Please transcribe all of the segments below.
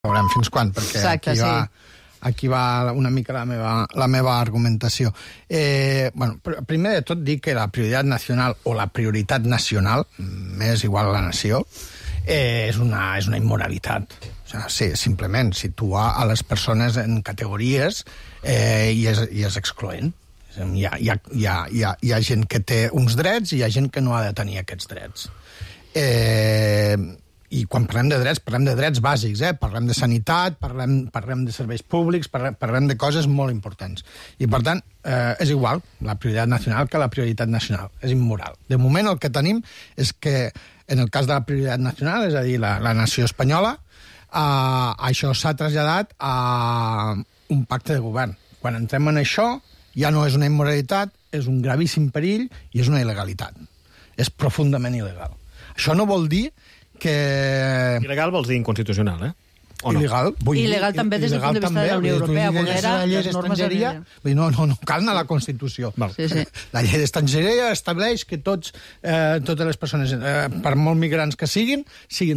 Veurem fins quan, perquè exacte, aquí va una mica la meva argumentació. Primer de tot, dir que la prioritat nacional o la prioritat nacional, m'és igual a la nació, és una immoralitat. O sigui, sí, simplement situar a les persones en categories i és excloent. Hi ha gent que té uns drets i hi ha gent que no ha de tenir aquests drets. I quan parlem de drets bàsics, parlem de sanitat, parlem de serveis públics, parlem de coses molt importants. I, per tant, és igual la prioritat nacional que la prioritat nacional. És immoral. De moment el que tenim és que, en el cas de la prioritat nacional, és a dir, la nació espanyola, això s'ha traslladat a un pacte de govern. Quan entrem en això, ja no és una immoralitat, és un gravíssim perill i és una il·legalitat. És profundament il·legal. Això no vol dir que... Il·legal vols dir inconstitucional, o no? Il·legal també des del punt de vista de la Unió Europea, vulnera les normes de... No cal anar a la Constitució. Sí. La llei d'estrangeria estableix que totes les persones, per molt migrants que siguin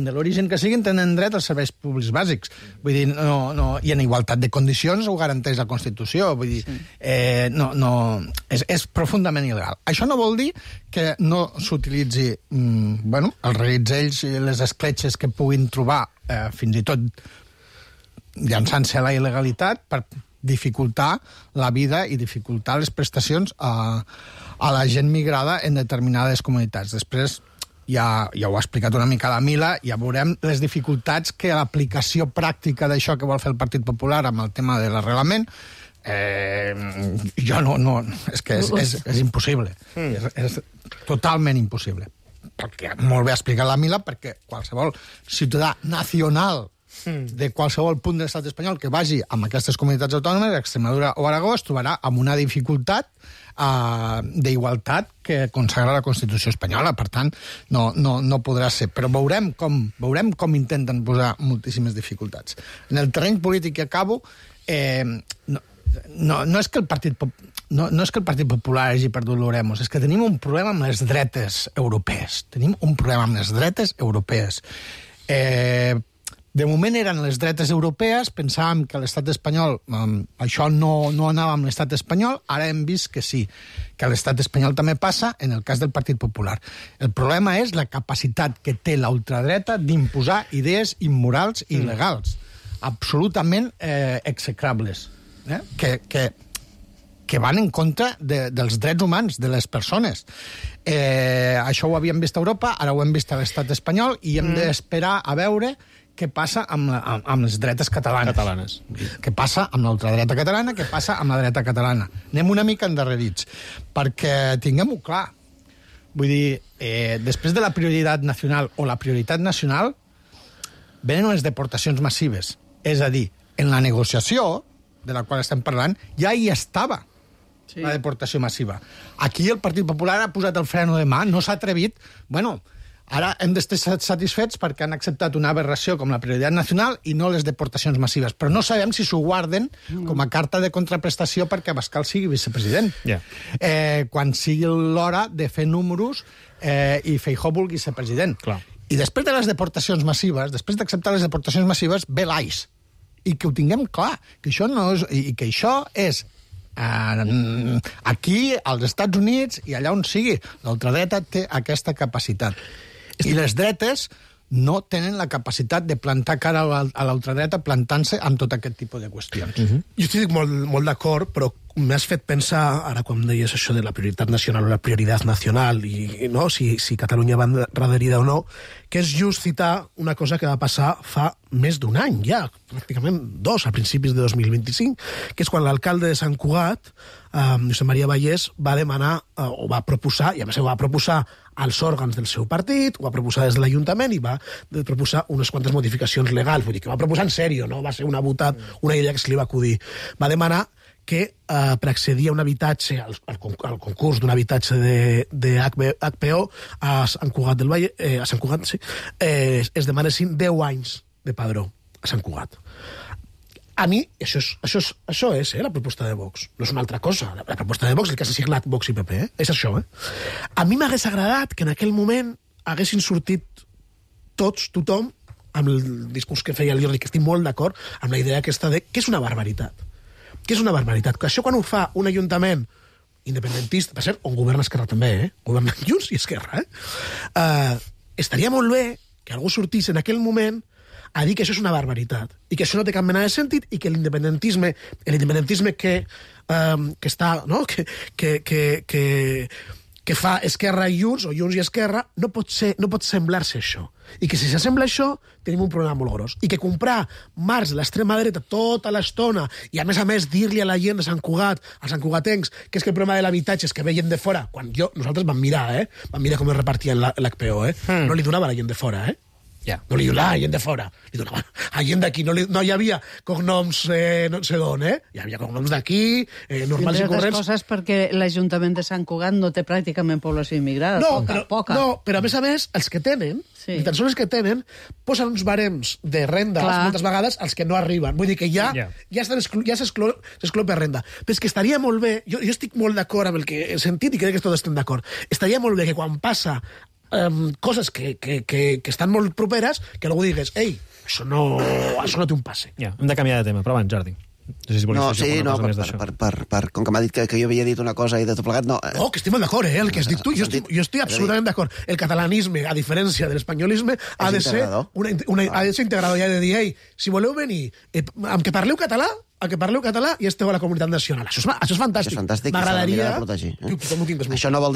de l'origen que siguin, tenen dret als serveis públics bàsics. Vull dir, i en igualtat de condicions ho garanteix la Constitució. Vull dir, és profundament il·legal. Això no vol dir que no s'utilitzi els reguitzells i les escletxes que puguin trobar, fins i tot llançant-se a la il·legalitat per dificultar la vida i dificultar les prestacions a la gent migrada en determinades comunitats. Després, ja ho ha explicat una mica la Mila, ja veurem les dificultats que l'aplicació pràctica d'això que vol fer el Partit Popular amb el tema de l'arrelament, és que és impossible. És totalment impossible. Perquè molt bé ha explicat la Mila, perquè qualsevol ciutadà nacional de qualsevol punt de l'estat espanyol que vagi amb aquestes comunitats autònomes, Extremadura o Aragó, es trobarà amb una dificultat d'igualtat que consagra la Constitució espanyola. Per tant, no podrà ser. Però veurem com intenten posar moltíssimes dificultats. En el terreny polític que acabo, no és que el Partit Popular hagi perdut l'Oremos, és que tenim un problema amb les dretes europees. De moment eren les dretes europees, pensàvem que l'estat espanyol, això no anava amb l'estat espanyol, ara hem vist que sí, que a l'estat espanyol també passa en el cas del Partit Popular. El problema és la capacitat que té la ultradreta d'imposar idees immorals i il·legals, absolutament execrables, que van en contra dels drets humans de les persones. Això ho havíem vist a Europa, ara ho hem vist a l'estat espanyol i hem d'esperar a veure què passa amb les dretes catalanes. Què passa amb l'ultradreta catalana, què passa amb la dreta catalana. Anem una mica endarrerits, perquè tinguem-ho clar. Vull dir, després de la prioritat nacional o la prioritat nacional, venen les deportacions massives. És a dir, en la negociació de la qual estem parlant, ja hi estava la deportació massiva. Aquí el Partit Popular ha posat el freno de mà, no s'ha atrevit. Ara hem d'estar satisfets perquè han acceptat una aberració com la prioritat nacional i no les deportacions massives. Però no sabem si s'ho guarden com a carta de contraprestació perquè Abascal sigui vicepresident. Quan sigui l'hora de fer números i Feijóo vulgui ser president. I després de les deportacions massives, després d'acceptar les deportacions massives, ve l'AIS. I que ho tinguem clar, que això no és... I que això és aquí, als Estats Units i allà on sigui. L'ultradreta té aquesta capacitat. I les dretes no tenen la capacitat de plantar cara a l'ultradreta plantant-se amb tot aquest tipus de qüestions. Jo estic molt d'acord, però m'has fet pensar, ara quan deies això de la prioritat nacional o la prioritat nacional, i no, si Catalunya va endarrerida o no, que és just citar una cosa que va passar fa més d'un any, ja, pràcticament 2, a principis de 2025, que és quan l'alcalde de Sant Cugat, Josep Maria Vallès, va demanar, o va proposar, i a més ho va proposar als òrgans del seu partit, ho va proposar des de l'Ajuntament i va proposar unes quantes modificacions legals, vull dir que va proposar en sèrio, no va ser una idea que se li va acudir. Va demanar que per accedir a un habitatge, al concurs d'un habitatge de HPO a Sant Cugat del Valle, es demanessin 10 anys de padró a Sant Cugat. A mi, això és la proposta de Vox. No és una altra cosa. La proposta de Vox, el que s'ha signat Vox i PP, és això. A mi m'hagués agradat que en aquell moment haguessin sortit tothom, amb el discurs que feia el Jordi, que estic molt d'acord amb la idea aquesta de què és una barbaritat. Què és una barbaritat? Que això quan ho fa un ajuntament independentista, per cert, on governa Esquerra també, governa Junts i Esquerra, estaria molt bé que algú sortís en aquell moment a dir que això és una barbaritat i que això no té cap mena de sentit i que l'independentisme que està, no? que fa Esquerra i Junts, o Junts i Esquerra, no pot semblar-se això. I que si s'assembla això, tenim un problema molt gros. I que comprar marcs de l'extrema dreta tota l'estona, i a més dir-li a la gent de Sant Cugat, als santcugatencs, que és que el problema de l'habitatge és que ve gent de fora, quan nosaltres vam mirar, vam mirar com es repartien l'HPO, no li donava a la gent de fora, Yeah. No li donava a gent de fora, li donava a gent d'aquí. No hi havia cognoms no sé d'on, Hi havia cognoms d'aquí, normals i corrents. Coses perquè l'Ajuntament de Sant Cugat no té pràcticament població immigrada. Poca. No, però a més, els que tenen, ni tan sols els que tenen, posen uns barems de renda moltes vegades als que no arriben. Vull dir que ja s'exclou per renda. Però és que estaria molt bé, jo estic molt d'acord amb el que he sentit i crec que tots estem d'acord, estaria molt bé que quan passa coses que estan molt properes, que algú digués, ei, això no té un passe. Hem de canviar de tema, però abans, Jordi. Com que m'ha dit que jo havia dit una cosa i de tot plegat, no. No, que estic molt d'acord, el que has dit tu, jo estic absolutament d'acord. El catalanisme, a diferència de l'espanyolisme, ha de ser integrador, i ha de dir, ei, si voleu venir, amb que parleu català, i esteu a la comunitat nacional. Això és fantàstic. M'agradaria protegir. Això no vol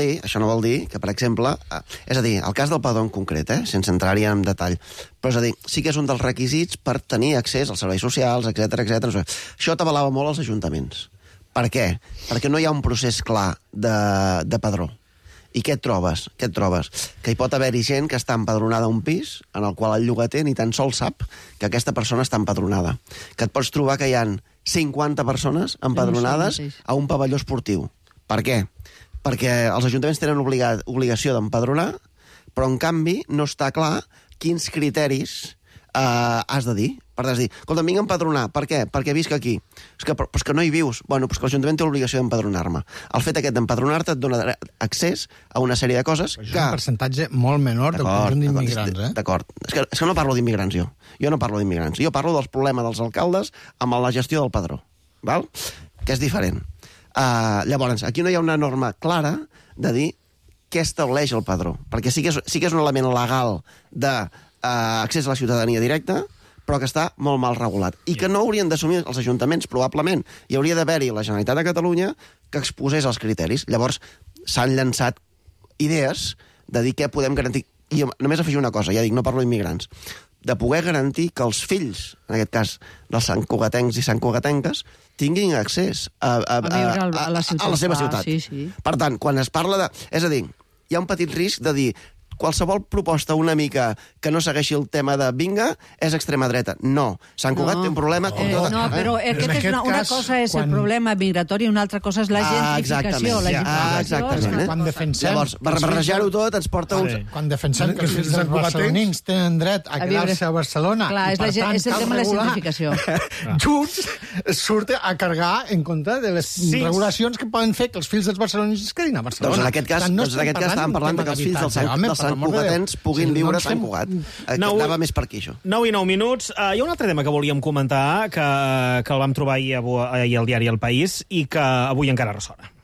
dir que, per exemple, és a dir, el cas del padró en concret, sense entrar-hi en detall, però és a dir, sí que és un dels requisits per tenir accés als serveis socials, etc. Això t'avalava molt als ajuntaments. Per què? Perquè no hi ha un procés clar de padró. I què et trobes? Que hi pot haver-hi gent que està empadronada a un pis en el qual el llogater ni tan sols sap que aquesta persona està empadronada. Que et pots trobar que hi ha 50 persones empadronades a un pavelló esportiu. Per què? Perquè els ajuntaments tenen obligació d'empadronar, però en canvi no està clar quins criteris has de dir. Per dir, escolta, vinc a empadronar. Per què? Perquè visc aquí. És que no hi vius. Bueno, doncs que l'Ajuntament té l'obligació d'empadronar-me. El fet aquest d'empadronar-te et dona accés a una sèrie de coses que... És un percentatge molt menor del conjunt d'immigrants, D'acord. És que no parlo d'immigrants, jo. Jo no parlo d'immigrants. Jo parlo dels problemes dels alcaldes amb la gestió del padró. Val? Que és diferent. Llavors, aquí no hi ha una norma clara de dir què estableix el padró. Perquè sí que és un element legal d'accés a la ciutadania directa, però que està molt mal regulat. I que no haurien d'assumir els ajuntaments, probablement. Hi hauria d'haver-hi la Generalitat de Catalunya que exposés els criteris. Llavors, s'han llançat idees de dir què podem garantir. I només afegir una cosa, ja dic, no parlo d'immigrants, de poder garantir que els fills, en aquest cas dels santcugatencs i santcugatenques, tinguin accés a la seva ciutat. Sí. Per tant, quan es parla de... És a dir, hi ha un petit risc de dir qualsevol proposta una mica que no segueixi el tema de vinga és extrema dreta. No. Sant Cugat té un problema com tot. No, però una cosa és el problema migratori i una altra cosa és la gentrificació. Exactament. Quan defensem... Llavors, barrejar-ho tot ens porta uns... Quan defensem que els fills dels barcelonins tenen dret a quedar-se a Barcelona... Clar, és el tema de la gentrificació. Junts surt a cargar en contra de les regulacions que poden fer que els fills dels barcelonins es quedin a Barcelona. Doncs en aquest cas estàvem parlant que els fills dels santcugatens puguin viure a Sant Cugat. Anava més per aquí, això. 9 i 9 minuts. Hi ha un altre tema que volíem comentar, que el vam trobar ahir al diari El País i que avui encara ressona.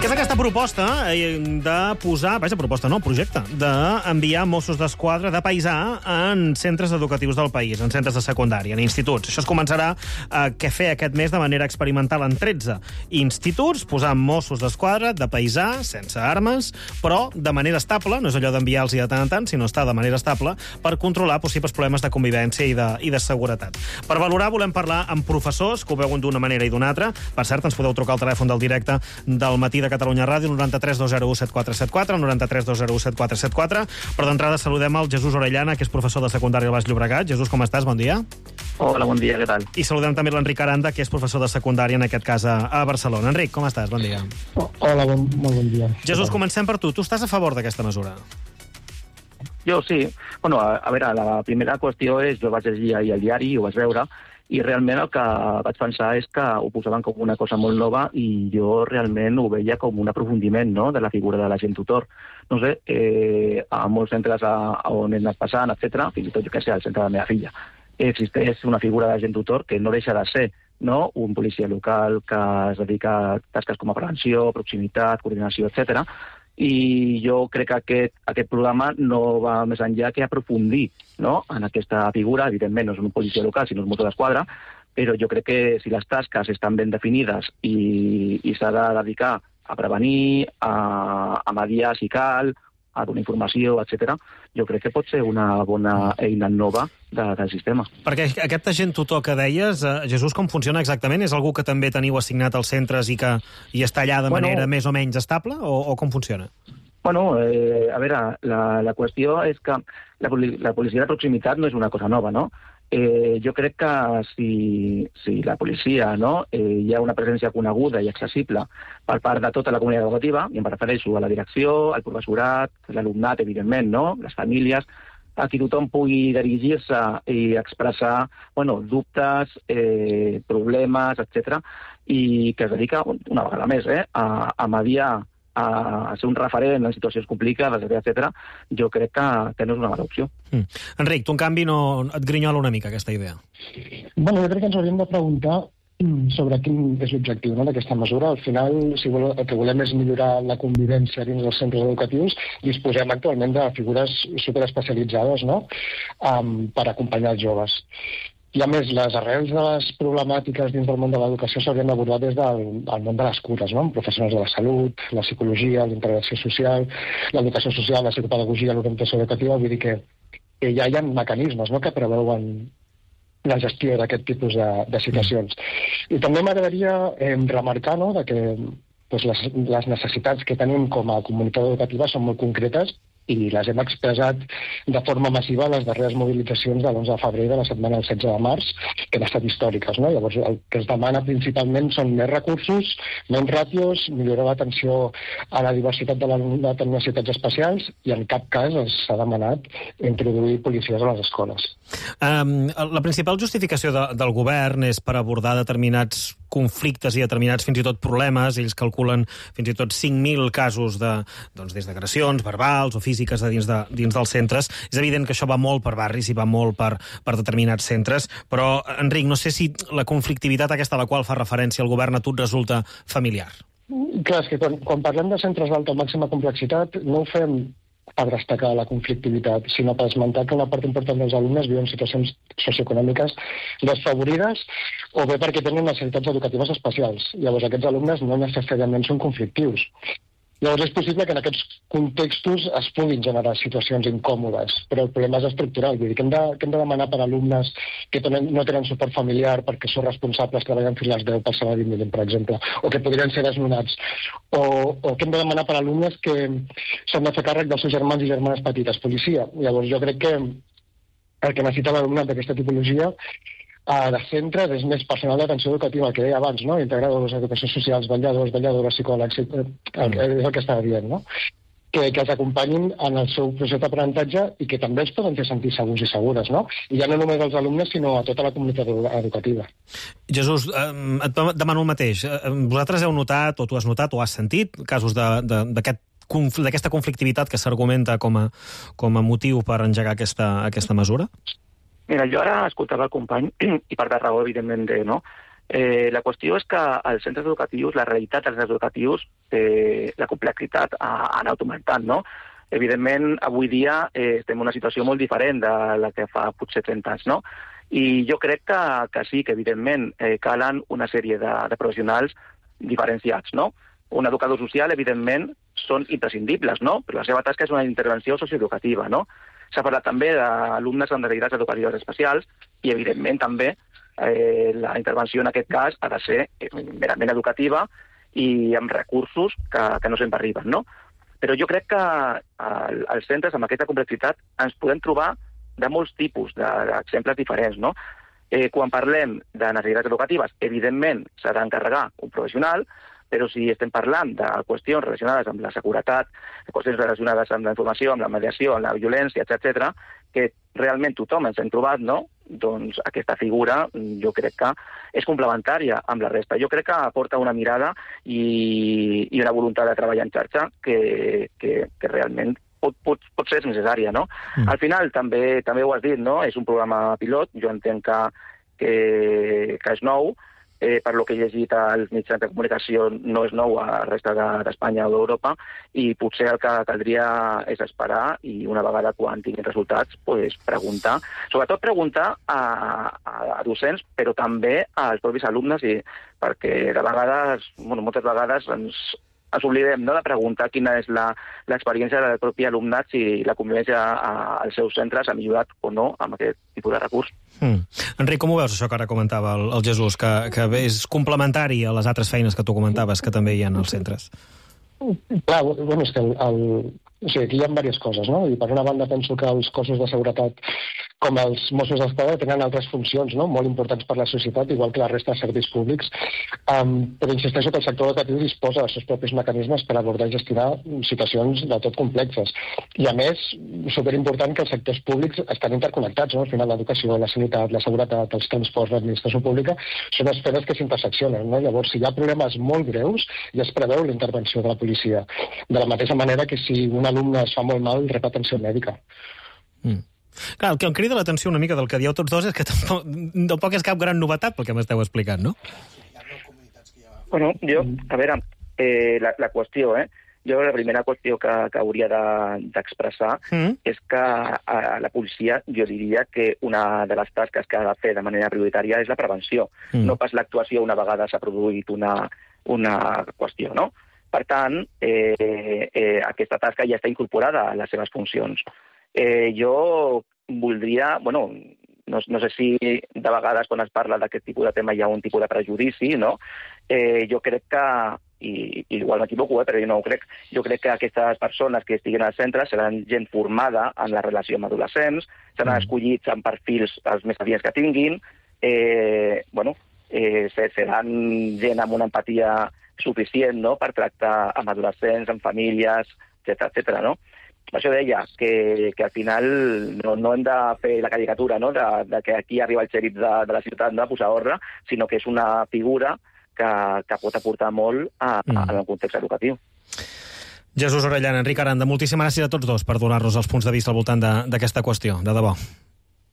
Que és aquesta proposta de posar... projecte, d'enviar Mossos d'Esquadra de paisà en centres educatius del país, en centres de secundària, en instituts. Això es començarà a fer aquest mes de manera experimental en 13 instituts, posar Mossos d'Esquadra de paisà, sense armes, però de manera estable, no és allò d'enviar-los de tant en tant, sinó estar de manera estable per controlar possibles problemes de convivència i de seguretat. Per valorar, volem parlar amb professors que ho veuen d'una manera i d'una altra. Per cert, ens podeu trucar al telèfon del directe del Matí de Catalunya Ràdio, 93 201 7474, 93 201 7474. Però d'entrada saludem el Jesús Orellana, que és professor de secundària al Baix Llobregat. Jesús, com estàs? Bon dia. Hola, bon dia, què tal? I saludem també l'Enric Aranda, que és professor de secundària, en aquest cas a Barcelona. Enric, com estàs? Bon dia. Hola, molt bon dia. Jesús, comencem per tu. Tu estàs a favor d'aquesta mesura? Jo sí. Bueno, a veure, la primera qüestió és, jo vaig llegir ahir al diari i ho vaig veure, I realment el que vaig pensar és que ho posaven com una cosa molt nova i jo realment ho veia com un aprofundiment, no?, de la figura de l'agent tutor. No sé, a molts centres on he anat passant, etc., fins i tot, jo què sé, al centre de la meva filla, existeix una figura d'agent tutor que no deixa de ser, no?, un policia local que es dedica a tasques com a prevenció, proximitat, coordinació, etc. I jo crec que aquest programa no va més enllà que aprofundir, no?, en aquesta figura. Evidentment no és un policia local, sinó un motor d'esquadra, però jo crec que si les tasques estan ben definides i s'ha de dedicar a prevenir, a mediar si cal, a donar informació, etc., jo crec que pot ser una bona eina nova del sistema. Perquè aquest agent tutor que deies, Jesús, com funciona exactament? És algú que també teniu assignat als centres i està allà de manera més o menys estable, o com funciona? Bueno, a veure, la qüestió és que la policia de proximitat no és una cosa nova, no? Jo crec que si la policia, no, hi ha una presència coneguda i accessible per part de tota la comunitat educativa, i em refereixo a la direcció, al professorat, l'alumnat, evidentment, no?, les famílies, a qui tothom pugui dirigir-se i expressar, dubtes, problemes, etc., i que es dedica, una vegada més, a mediar, a ser un referent en situacions complicades, etc., jo crec que no és una mala opció. Enric, tu en canvi no et grinyola una mica aquesta idea. Bueno, jo crec que ens hauríem de preguntar sobre quin és l'objectiu, no?, d'aquesta mesura. Al final, si el que volem és millorar la convivència dins dels centres educatius, disposem actualment de figures superespecialitzades, no?, per acompanyar els joves. I a més, les arrels de les problemàtiques dins del món de l'educació s'haurien d'abordar des del món de les cures, no?, amb professionals de la salut, la psicologia, la integració social, l'educació social, la psicopedagogia, l'orientació educativa. Vull dir que ja hi ha mecanismes, no?, que preveuen la gestió d'aquest tipus de situacions. I també m'agradaria remarcar, no?, que les necessitats que tenim com a comunitat educativa són molt concretes i les hem expressat de forma massiva a les darreres mobilitzacions de l'11 de febrer de la setmana del 16 de març, que han estat històriques, no? Llavors, el que es demana principalment són més recursos, menys ràtios, millorar l'atenció a la diversitat de l'alumnat amb necessitats especials, i en cap cas s'ha demanat introduir policies a les escoles. La principal justificació del govern és per abordar determinats conflictes i determinats fins i tot problemes. Ells calculen fins i tot 5.000 casos des d'agressions verbals o físiques dins dels centres. És evident que això va molt per barris i va molt per determinats centres, però, Enric, no sé si la conflictivitat aquesta a la qual fa referència el govern a tu et resulta familiar. Clar, és que quan parlem de centres d'alta o màxima complexitat no ho fem per destacar la conflictivitat, sinó per esmentar que una part important dels alumnes viuen situacions socioeconòmiques desfavorides o bé perquè tenen necessitats educatives especials. Llavors, aquests alumnes no necessàriament són conflictius. Llavors, és possible que en aquests contextos es puguin generar situacions incòmodes, però el problema és estructural. Vull dir que hem de demanar per alumnes que no tenen suport familiar perquè són responsables, treballant fins a les 10 pel salari mínim, per exemple, o que podrien ser desnonats, o que hem de demanar per alumnes que s'han de fer càrrec dels seus germans i germanes petites, policia. Llavors, jo crec que el que necessita l'alumnat d'aquesta tipologia de centres és més personal d'atenció educativa, que deia abans, no?, integradors, educacions socials, vetlladors, psicòlegs, és el que estava dient, no?, que els acompanyin en el seu procés d'aprenentatge i que també els poden fer sentir segurs i segures, no? I ja no només als alumnes, sinó a tota la comunitat educativa. Jesús, et demano el mateix. Vosaltres heu notat, o tu has notat, o has sentit casos d'aquesta conflictivitat que s'argumenta com a motiu per engegar aquesta mesura? Mira, jo ara escoltava el company, i per de raó, evidentment, no? La qüestió és que als centres educatius, la realitat dels centres educatius, la complexitat ha anat augmentant, no? Evidentment, avui dia estem en una situació molt diferent de la que fa potser 30 anys, no? I jo crec que sí, que evidentment calen una sèrie de professionals diferenciats, no? Un educador social, evidentment, són imprescindibles, no? Però la seva tasca és una intervenció socioeducativa, no? S'ha parlat també d'alumnes amb necessitats educatives especials i, evidentment, també la intervenció en aquest cas ha de ser merament educativa i amb recursos que no sempre arriben, no? Però jo crec que als centres amb aquesta complexitat ens podem trobar de molts tipus d'exemples diferents, no? Quan parlem de necessitats educatives, evidentment s'ha d'encarregar un professional, però si estem parlant de qüestions relacionades amb la seguretat, qüestions relacionades amb la informació, amb la mediació, amb la violència, etc., que realment tothom ens hem trobat, no?, doncs aquesta figura jo crec que és complementària amb la resta. Jo crec que aporta una mirada i una voluntat de treballar en xarxa que realment pot ser necessària, no? Al final, també ho has dit, no? És un programa pilot, jo entenc que és nou, per lo que he llegit als mitjans de comunicació no és nou a la resta d'Espanya o d'Europa, i potser el que caldria és esperar i una vegada quan tinguin resultats, preguntar. Sobretot preguntar a docents, però també als propis alumnes, perquè de vegades, moltes vegades ens oblidem de preguntar quina és l'experiència del propi alumnat, si la convivència als seus centres ha millorat o no amb aquest tipus de recurs. Enric, com ho veus, això que ara comentava el Jesús, que és complementari a les altres feines que tu comentaves que també hi ha als centres? Clar, és que aquí hi ha diverses coses, no? I per una banda penso que els cossos de seguretat com els Mossos d'Esquadra tenen altres funcions, no?, molt importants per la societat, igual que la resta de serveis públics, però insisteixo que el sector educatiu disposa dels seus propis mecanismes per abordar i gestionar situacions de tot complexes. I a més, superimportant que els sectors públics estan interconnectats, no? Al final l'educació, la sanitat, la seguretat, els transports, l'administració pública, són esferes que s'interseccionen, no? Llavors, si hi ha problemes molt greus, ja es preveu la intervenció de la policia. De la mateixa manera que si un alumne es fa molt mal, rep atenció mèdica. Clar, el que em crida l'atenció una mica del que dieu tots dos és que tampoc és cap gran novetat pel que m'esteu explicant, no? Bueno, a veure, la qüestió, jo la primera qüestió que hauria d'expressar és que a la policia jo diria que una de les tasques que ha de fer de manera prioritària és la prevenció, no pas l'actuació una vegada s'ha produït una qüestió, no? Per tant, aquesta tasca ja està incorporada a les seves funcions. Jo voldria, no sé si de vegades quan es parla d'aquest tipus de tema hi ha un tipus de prejudici, no? Jo crec que, i igual m'equivoco, però jo no ho crec, jo crec que aquestes persones que estiguin al centre seran gent formada en la relació amb adolescents, seran escollits amb perfils els més adients que tinguin, seran gent amb una empatia suficient, no?, per tractar amb adolescents, amb famílies, etcètera, no? Per això deia que al final no hem de fer la caricatura, no?, de que aquí arriba el xèrif de la ciutat de posar ordre, sinó que és una figura que pot aportar molt al context educatiu. Jesús Orellana, Enric Aranda, moltíssimes gràcies a tots dos per donar-nos els punts de vista al voltant d'aquesta qüestió, de debò.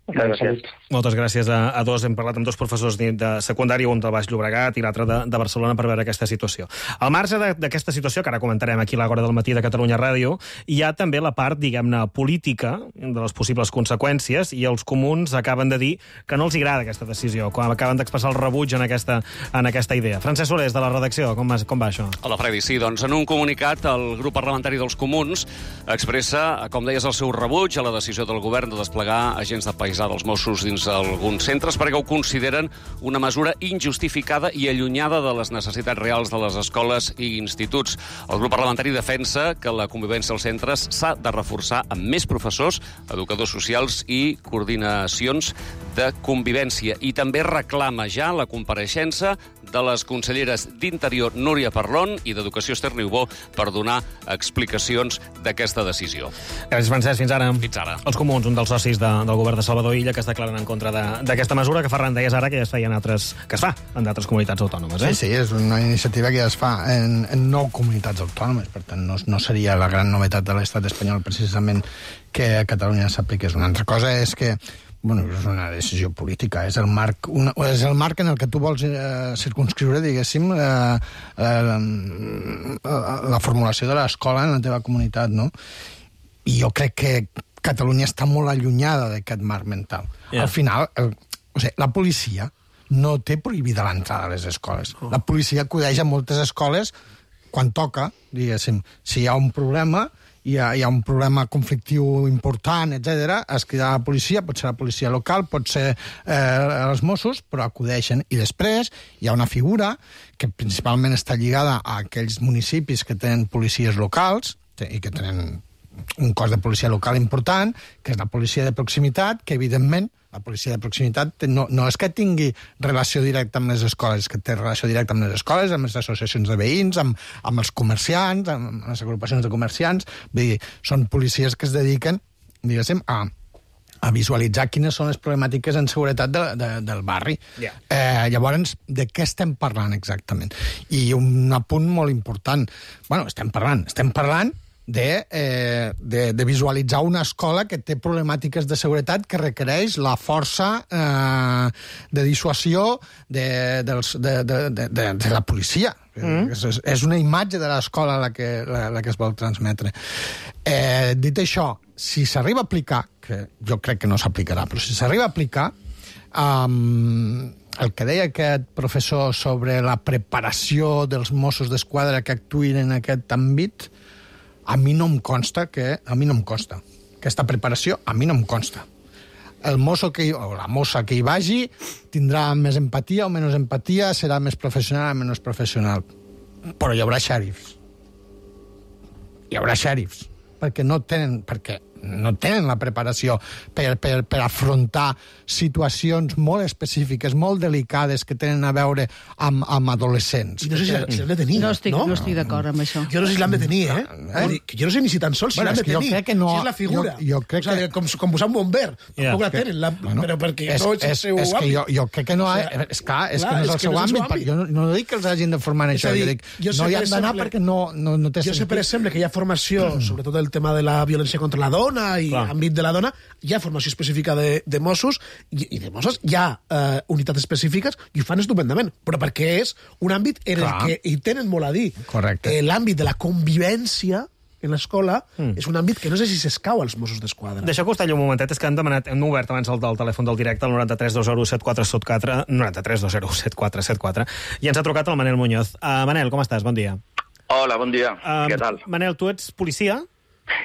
Gràcies. Moltes gràcies a dos. Hem parlat amb dos professors de secundària, un del Baix Llobregat i l'altre de Barcelona, per veure aquesta situació. Al marge d'aquesta situació, que ara comentarem aquí a l'Hora del Matí de Catalunya Ràdio, hi ha també la part, diguem-ne, política de les possibles conseqüències, i els comuns acaben de dir que no els agrada aquesta decisió, quan acaben d'expressar el rebuig en aquesta idea. Francesc Solés, de la redacció, com va això? Hola, Freddy. Sí, doncs en un comunicat el grup parlamentari dels Comuns expressa, com deies, el seu rebuig a la decisió del govern de desplegar agents de paisatge dels Mossos dins alguns centres perquè ho consideren una mesura injustificada i allunyada de les necessitats reals de les escoles i instituts. El grup parlamentari defensa que la convivència als centres s'ha de reforçar amb més professors, educadors socials i coordinacions de convivència. I també reclama ja la compareixença de les conselleres d'Interior, Núria Parlon, i d'Educació, Esther Niubó, per donar explicacions d'aquesta decisió. Gràcies, Francesc. Fins ara. Fins ara. Els Comuns, un dels socis del govern de Salvador Illa, que es declaren en contra d'aquesta mesura, que Ferran deies ara que ja es feia que es fa en d'altres comunitats autònomes. Sí, és una iniciativa que ja es fa en 9 comunitats autònomes, per tant no seria la gran novetat de l'estat espanyol precisament que a Catalunya s'apliqués. Una altra cosa és que és una decisió política, és el marc en el que tu vols circunscriure, diguéssim, la formulació de l'escola en la teva comunitat, no? I jo crec que Catalunya està molt allunyada d'aquest marc mental. Al final, la policia no té prohibida l'entrada a les escoles. La policia acudeix a moltes escoles quan toca, diguéssim. Si hi ha un problema, hi ha un problema conflictiu important, etc., es crida la policia, pot ser la policia local, pot ser els Mossos, però acudeixen. I després hi ha una figura que principalment està lligada a aquells municipis que tenen policies locals i que tenen un cos de policia local important, que és la policia de proximitat, que evidentment la policia de proximitat no és que tingui relació directa amb les escoles, és que té relació directa amb les escoles, amb les associacions de veïns, amb els comerciants, amb les agrupacions de comerciants. Vull dir, són policies que es dediquen, diguéssim, a a visualitzar quines són les problemàtiques en seguretat del barri. Llavors, de què estem parlant exactament? I un apunt molt important. Bueno, estem parlant de visualitzar una escola que té problemàtiques de seguretat que requereix la força de dissuasió de la policia. És una imatge de l'escola la que es vol transmetre. Dit això, si s'arriba a aplicar, que jo crec que no s'aplicarà, però si s'arriba a aplicar, el que deia aquest professor sobre la preparació dels Mossos d'Esquadra que actuïn en aquest àmbit, a mi no em consta. Aquesta preparació a mi no em consta. El mosso o la mossa que hi vagi tindrà més empatia o menys empatia, serà més professional o menys professional. Però hi haurà xèrifs. Perquè no tenen la preparació per afrontar situacions molt específiques, molt delicades, que tenen a veure amb adolescents. I no sé si l'han de tenir, no estic d'acord amb això. Jo no sé si l'han de tenir, Jo no sé ni si tan sols si l'han de tenir. Jo crec que no. Si és la figura. Jo crec que... Com posar un bomber. Tampoc la tenen, però perquè no és el seu àmbit. Jo crec que no... És clar, és que no és el seu àmbit. Jo no dic que els hagin de formar en això. Jo dic, no hi han d'anar perquè no té sentit. Jo sé, per exemple, que hi ha formació, sobretot el tema de la violència contra la dona i àmbit de la dona, hi ha formació específica de Mossos i de Mossos hi ha unitats específiques i ho fan estupendament, però perquè és un àmbit en el que hi tenen molt a dir. Correcte. L'àmbit de la convivència en l'escola és un àmbit que no sé si s'escau als Mossos d'Esquadra. Deixa que us talli un momentet, és que hem obert abans el telèfon del directe, el 93 201 7474, 93 201 7474, i ens ha trucat el Manel Muñoz. Manel, com estàs? Bon dia. Hola, bon dia. Què tal? Manel, tu ets policia?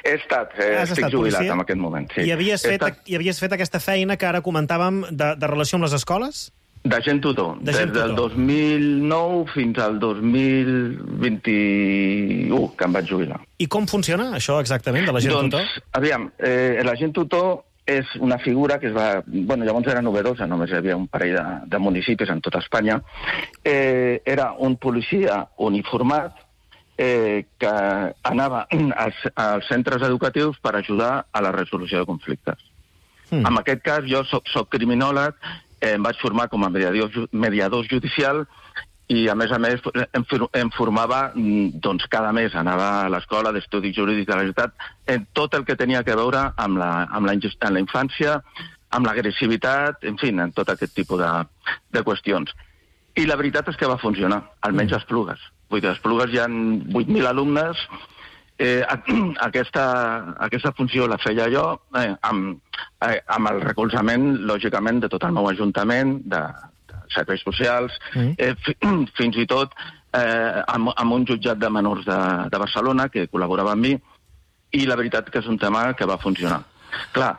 He estat, estic jubilat en aquest moment. Sí. I havies fet aquesta feina que ara comentàvem de relació amb les escoles? D'agent tutor. Des del 2009 fins al 2021, que em vaig jubilar. I com funciona això exactament, de l'agent tutor? Aviam, l'agent tutor és una figura que es va... Bueno, llavors era novedosa, només hi havia un parell de municipis en tota Espanya. Era un policia uniformat que anava als centres educatius per ajudar a la resolució de conflictes. En aquest cas, jo soc criminòleg, em vaig formar com a mediador judicial i, a més, em formava, doncs, cada mes anava a l'escola d'estudis jurídics de la ciutat en tot el que tenia que veure amb la infància, amb l'agressivitat, en fi, en tot aquest tipus de qüestions. I la veritat és que va funcionar, almenys a Esplugues. Vull dir, a Esplugues hi ha 8.000 alumnes. Aquesta funció la feia jo amb el recolzament, lògicament, de tot el meu ajuntament, de serveis socials, fins i tot amb un jutjat de menors de Barcelona que col·laborava amb mi, i la veritat que és un tema que va funcionar. Clar,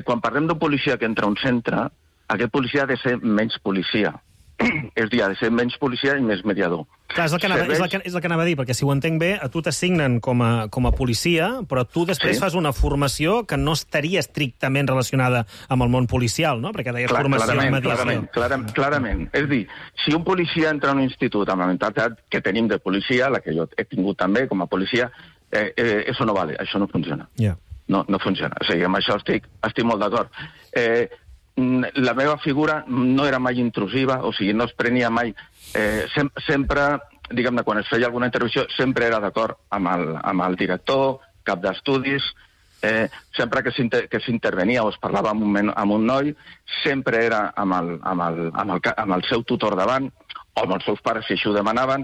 quan parlem d'un policia que entra a un centre, aquest policia ha de ser menys policia. És a dir, ha de ser menys policia i més mediador. Clar, és el que anava a dir, perquè si ho entenc bé, a tu t'assignen com a policia, però tu després fas una formació que no estaria estrictament relacionada amb el món policial, no? Perquè deies formació en mediació. Clarament. És a dir, si un policia entra a un institut amb la mentalitat que tenim de policia, la que jo he tingut també com a policia, això no vale, això no funciona. No funciona. O sigui, amb això estic molt d'acord. La meva figura no era mai intrusiva, o sigui, no es prenia mai... Sempre, diguem-ne, quan es feia alguna intervenció, sempre era d'acord amb el director, cap d'estudis, sempre que s'intervenia o es parlava amb un noi, sempre era amb el seu tutor davant, o amb els seus pares, si així ho demanaven.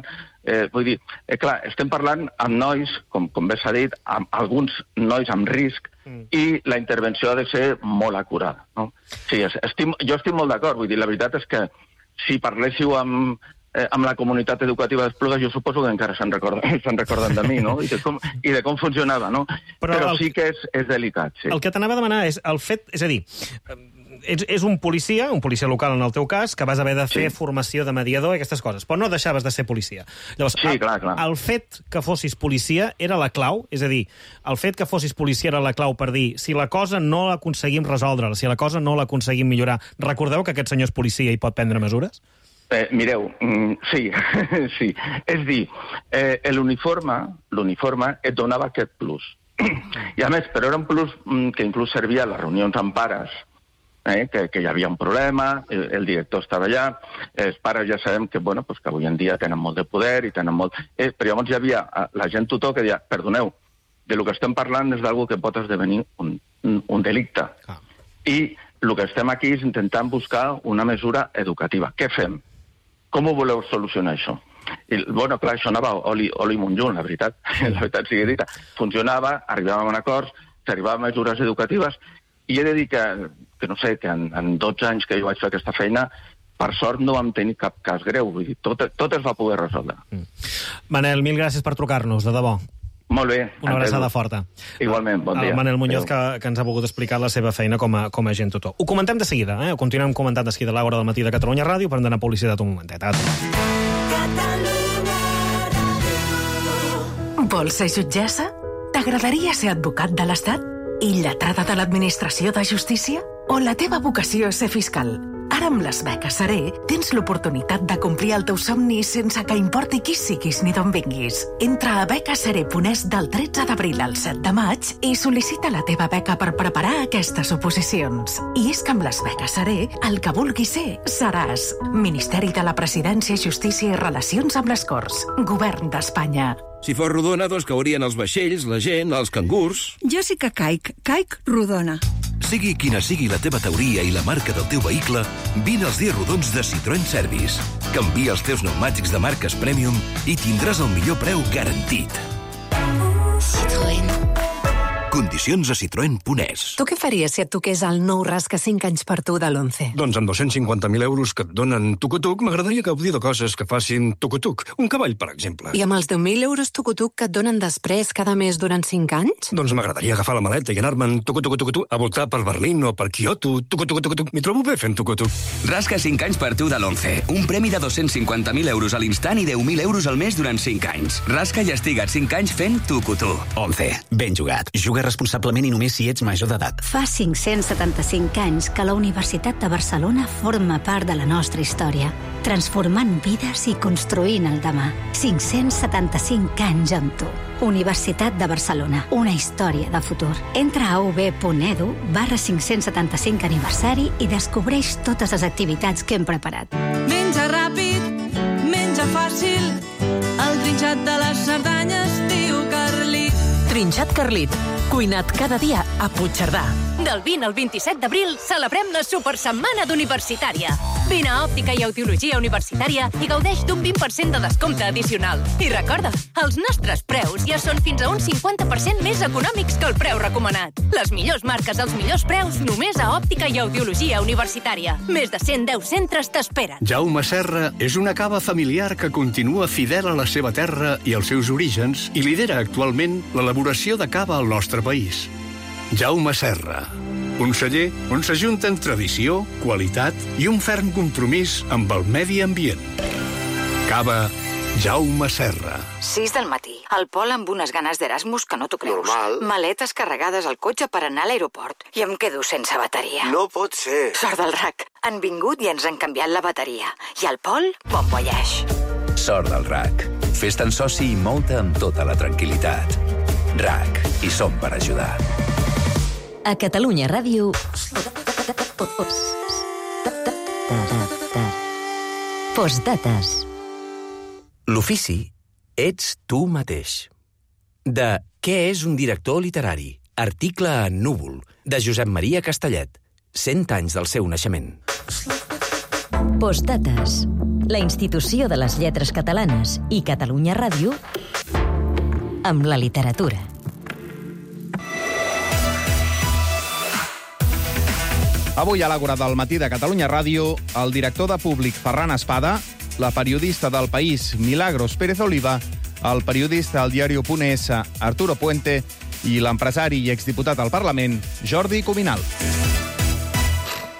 Vull dir, clar, estem parlant amb nois, com bé s'ha dit, amb alguns nois amb risc, i la intervenció ha de ser molt acurada. No? Sí, jo estic molt d'acord. Vull dir, la veritat és que si parléssiu amb la comunitat educativa d'Esplugues, jo suposo que encara se'n recorden de mi, no? I de com funcionava, no? Però sí que és delicat, sí. El que t'anava a demanar és el fet... És a dir, és un policia local en el teu cas, que vas haver de fer formació de mediador i aquestes coses, però no deixaves de ser policia. Llavors, clar. El fet que fossis policia era la clau? És a dir, el fet que fossis policia era la clau per dir, si la cosa no l'aconseguim resoldre, si la cosa no l'aconseguim millorar, recordeu que aquest senyor és policia i pot prendre mesures? Mireu, sí. És dir, l'uniforme et donava aquest plus. I a més, però era un plus que inclús servia a les reunions amb pares, que hi havia un problema, el director estava allà, els pares ja sabem que, bueno, pues que avui en dia tenen molt de poder i tenen molt... Però llavors hi havia la gent tutor que deia, perdoneu, de lo que estem parlant és d'algo que pot esdevenir un delicte. I el que estem aquí és intentant buscar una mesura educativa. Què fem? Com ho voleu solucionar, això? I, bueno, clar, això anava oli munjun, la veritat sigui dita. Funcionava, arribàvem a acords, s'arribava a mesures educatives, i he de dir que no sé, que en 12 anys que jo vaig fer aquesta feina, per sort no vam tenir cap cas greu. Vull dir, tot es va poder resoldre. Manel, mil gràcies per trucar-nos, de debò. Molt bé. Una abraçada forta. Igualment, bon dia. El Manel Muñoz, que ens ha volgut explicar la seva feina com a agent tutor. Ho comentem de seguida, Ho continuem comentant de seguida a l'hora del matí de Catalunya Ràdio, per anar a publicitat un momentet. Vols ser jutgessa? T'agradaria ser advocat de l'Estat? I lletrada de l'Administració de Justícia? O la teva vocació és ser fiscal? Ara amb les beques Seré tens l'oportunitat de complir el teu somni sense que importi qui siguis ni d'on vinguis. Entra a becasseré.es del 13 d'abril al 7 de maig i sol·licita la teva beca per preparar aquestes oposicions. I és que amb les beques Seré, el que vulguis ser, seràs. Ministeri de la Presidència, Justícia i Relacions amb les Corts. Govern d'Espanya. Si fos rodona, doncs caurien els vaixells, la gent, els cangurs... Jo sí que caic rodona. Sigui quina sigui la teva teoria i la marca del teu vehicle, vine als dies rodons de Citroën Service. Canvia els teus pneumàtics de marques Premium i tindràs el millor preu garantit. Citroën. Condicions a citroen.es. Tu què faries si et toqués el nou rasca 5 anys per tu de l'11? Doncs amb 250.000 euros que et donen tucutuc, m'agradaria gaudir de coses que facin tucutuc. Un cavall, per exemple. I amb els 10.000 euros tucutuc que et donen després cada mes durant 5 anys? Doncs m'agradaria agafar la maleta i anar-me'n tucutuc a voltar per Berlín o per Kyoto. Tucutuc. M'hi trobo bé fent tucutuc. Rasca 5 anys per tu de l'11. Un premi de 250.000 euros a l'instant i 10.000 euros al mes durant 5 anys. Rasca i estiga't 5 anys fent tucutuc. 11. Ben jugat. Juga responsablement i només si ets major d'edat. Fa 575 anys que la Universitat de Barcelona forma part de la nostra història, transformant vides i construint el demà. 575 anys amb tu. Universitat de Barcelona, una història de futur. Entra a ub.edu/575 aniversari i descobreix totes les activitats que hem preparat. Menja ràpid, menja fàcil, el trinxat de les Cerdanyes diu Carlit. Trinxat Carlit, cuinat cada dia a Puigcerdà. Del 20 al 27 d'abril celebrem la Supersetmana d'Universitària. Vine a Òptica i Audiologia Universitària i gaudeix d'un 20% de descompte addicional. I recorda, els nostres preus ja són fins a un 50% més econòmics que el preu recomanat. Les millors marques als millors preus només a Òptica i Audiologia Universitària. Més de 110 centres t'esperen. Jaume Serra és una cava familiar que continua fidel a la seva terra i als seus orígens i lidera actualment l'elaboració de cava al nostre país. Jaume Serra, un celler on s'ajunten tradició, qualitat i un ferm compromís amb el medi ambient. Cava Jaume Serra. 6 del matí. Al Pol amb unes ganes d'Erasmus que no t'ho creus. Normal. Maletes carregades al cotxe per anar a l'aeroport. I em quedo sense bateria. No pot ser. Sort del RAC. Han vingut i ens han canviat la bateria. I al Pol, bon voyage. Sort del RAC. Fes-te'n soci i mou-te amb tota la tranquil·litat. RAC. Hi som per ajudar. A Catalunya Ràdio... Postdates. L'ofici ets tu mateix. De Què és un director literari? Article en Núvol, de Josep Maria Castellet. 100 anys del seu naixement. Postdates. La institució de les lletres catalanes i Catalunya Ràdio amb la literatura. Avui a l'Àgora del matí de Catalunya Ràdio, el director de Públic Ferran Espada, la periodista del País Milagros Pérez Oliva, el periodista al diario.es Arturo Puente i l'empresari i exdiputat al Parlament Jordi Cuminal.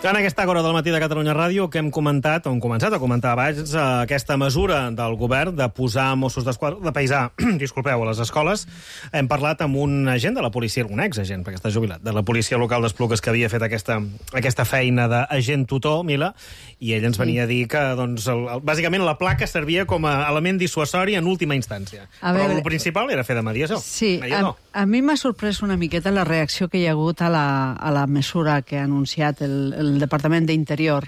En aquesta hora del matí de Catalunya Ràdio que hem començat a comentar abans aquesta mesura del govern de posar Mossos d'Esquadra, de paisar, disculpeu, a les escoles. Hem parlat amb un agent de la policia, un exagent, perquè està jubilat, de la policia local d'Esplugues, que havia fet aquesta feina d'agent tutor, Mila, i ell ens venia a dir que, doncs, bàsicament la placa servia com a element dissuasori en última instància. Però el principal era fer de mediació. Sí, a mi m'ha sorprès una miqueta la reacció que hi ha hagut a la mesura que ha anunciat el Departament d'Interior,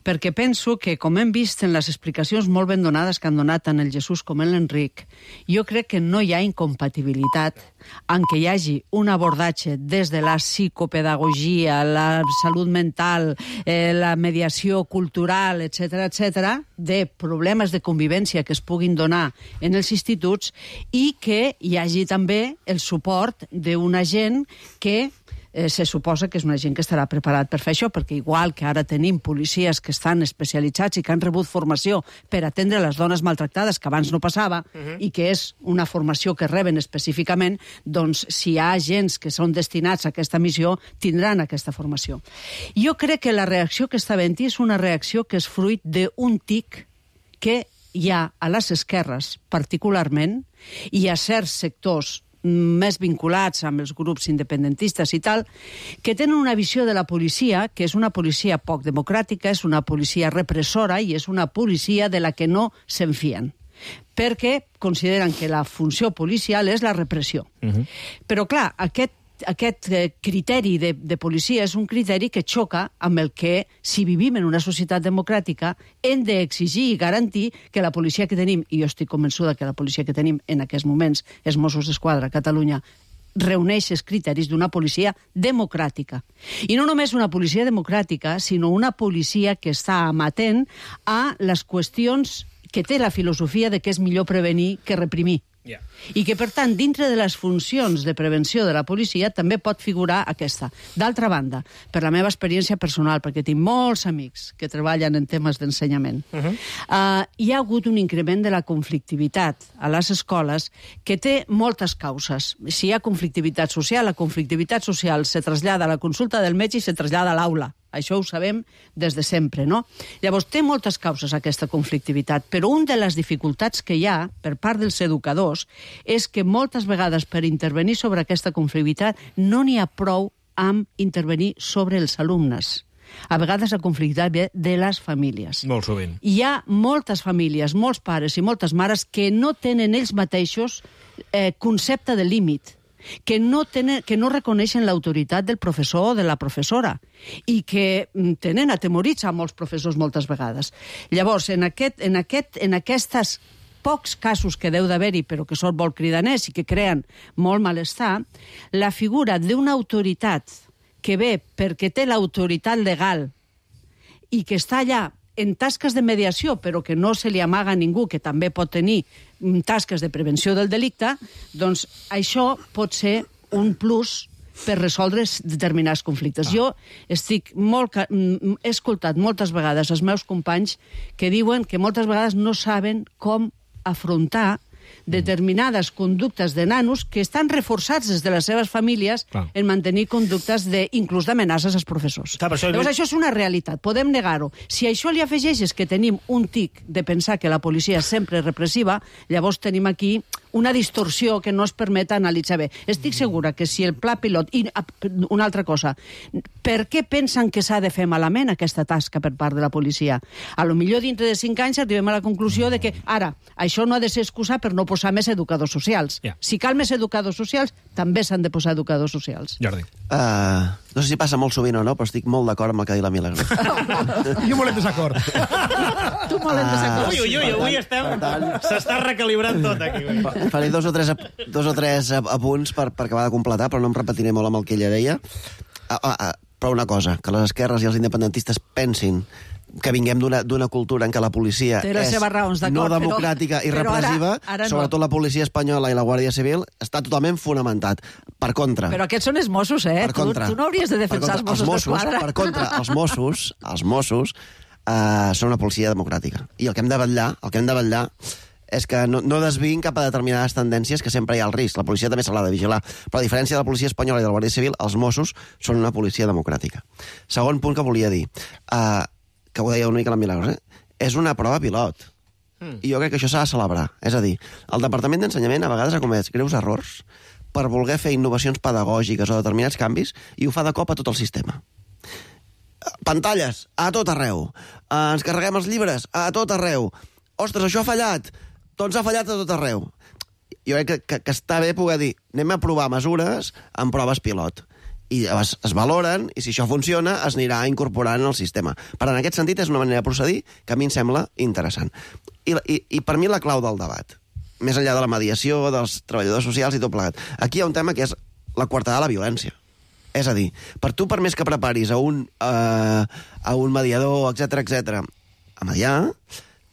perquè penso que, com hem vist en les explicacions molt ben donades que han donat tant el Jesús com l'Enric, jo crec que no hi ha incompatibilitat en què hi hagi un abordatge des de la psicopedagogia, la salut mental, la mediació cultural, etc., de problemes de convivència que es puguin donar en els instituts i que hi hagi també el suport d'un agent que se suposa que és una gent que estarà preparat per fer això, perquè igual que ara tenim policies que estan especialitzats i que han rebut formació per atendre les dones maltractades, que abans no passava, i que és una formació que reben específicament, doncs si hi ha agents que són destinats a aquesta missió, tindran aquesta formació. Jo crec que la reacció que està havent-hi és una reacció que és fruit d'un tic que hi ha a les esquerres, particularment, i a certs sectors més vinculats amb els grups independentistes i tal, que tenen una visió de la policia que és una policia poc democràtica, és una policia repressora i és una policia de la que no s'enfien, perquè consideren que la funció policial és la repressió. Però, clar, aquest criteri de policia és un criteri que xoca amb el que, si vivim en una societat democràtica, hem d'exigir i garantir que la policia que tenim, i jo estic convençuda que la policia que tenim en aquests moments, els Mossos d'Esquadra a Catalunya, reuneix els criteris d'una policia democràtica. I no només una policia democràtica, sinó una policia que està amatent a les qüestions que té la filosofia de que és millor prevenir que reprimir. I que, per tant, dintre de les funcions de prevenció de la policia també pot figurar aquesta. D'altra banda, per la meva experiència personal, perquè tinc molts amics que treballen en temes d'ensenyament, hi ha hagut un increment de la conflictivitat a les escoles que té moltes causes. Si hi ha conflictivitat social, la conflictivitat social se trasllada a la consulta del metge i se trasllada a l'aula. Això ho sabem des de sempre, no? Llavors, té moltes causes aquesta conflictivitat, però una de les dificultats que hi ha per part dels educadors és que moltes vegades per intervenir sobre aquesta conflictivitat no n'hi ha prou amb intervenir sobre els alumnes. A vegades la conflictivitat ve de les famílies. Molt sovint. Hi ha moltes famílies, molts pares i moltes mares que no tenen ells mateixos concepte de límit, que no reconeixen l'autoritat del professor o de la professora i que tenen atemorits a molts professors moltes vegades. Llavors, en aquests pocs casos que deu d'haver-hi, però que són molt cridaners i que creen molt malestar, la figura d'una autoritat que ve perquè té l'autoritat legal i que està allà en tasques de mediació, però que no se li amaga a ningú, que també pot tenir tasques de prevenció del delicte, doncs això pot ser un plus per resoldre determinats conflictes. Jo he escoltat moltes vegades els meus companys que diuen que moltes vegades no saben com afrontar determinades conductes de nanos que estan reforçats des de les seves famílies en mantenir conductes inclús d'amenaces als professors. Llavors, això és una realitat, podem negar-ho. Si això li afegeixes que tenim un tic de pensar que la policia és sempre repressiva, llavors tenim aquí una distorsió que no es permet analitzar bé. Estic segura que si el pla pilot... I una altra cosa, per què pensen que s'ha de fer malament aquesta tasca per part de la policia? A lo millor dintre de 5 anys arribem a la conclusió de que ara, això no ha de ser excusa per no posar més educadors socials. Si cal més educadors socials, també s'han de posar educadors socials. Jordi. No sé si passa molt sovint o no, però estic molt d'acord amb el que ha dit la Milagros. Jo molt en desacord. Tu molt en desacord. Ui, avui s'està recalibrant tot aquí. Faré dos o tres apunts per acabar de completar, però no em repetiré molt amb el que ella deia. Però una cosa, que les esquerres i els independentistes pensin que vinguem d'una cultura en què la policia és no democràtica i repressiva, sobretot la policia espanyola i la Guàrdia Civil, està totalment fonamentat. Per contra... Però aquests són els Mossos, eh? Tu no hauries de defensar els Mossos d'Esquadra. Per contra, els Mossos són una policia democràtica. I el que hem de vetllar és que no desviïn cap a determinades tendències que sempre hi ha el risc. La policia també se l'ha de vigilar. Però a diferència de la policia espanyola i de la Guàrdia Civil, els Mossos són una policia democràtica. Segon punt que volia dir, que ho deia una mica la Milagros, és una prova pilot. I jo crec que això s'ha de celebrar. És a dir, el Departament d'Ensenyament a vegades ha comès greus errors per voler fer innovacions pedagògiques o determinats canvis i ho fa de cop a tot el sistema. Pantalles, a tot arreu. Ens carreguem els llibres, a tot arreu. Ostres, això ha fallat. Doncs ha fallat a tot arreu. Jo crec que està bé poder dir anem a provar mesures en proves pilot. I es valoren, i si això funciona, es anirà incorporant en el sistema. Per en aquest sentit, és una manera de procedir que a mi em sembla interessant. I per mi la clau del debat, més enllà de la mediació, dels treballadors socials i tot plegat, aquí hi ha un tema que és la coartada de la violència. És a dir, per més que preparis a un mediador, etc, a mediar,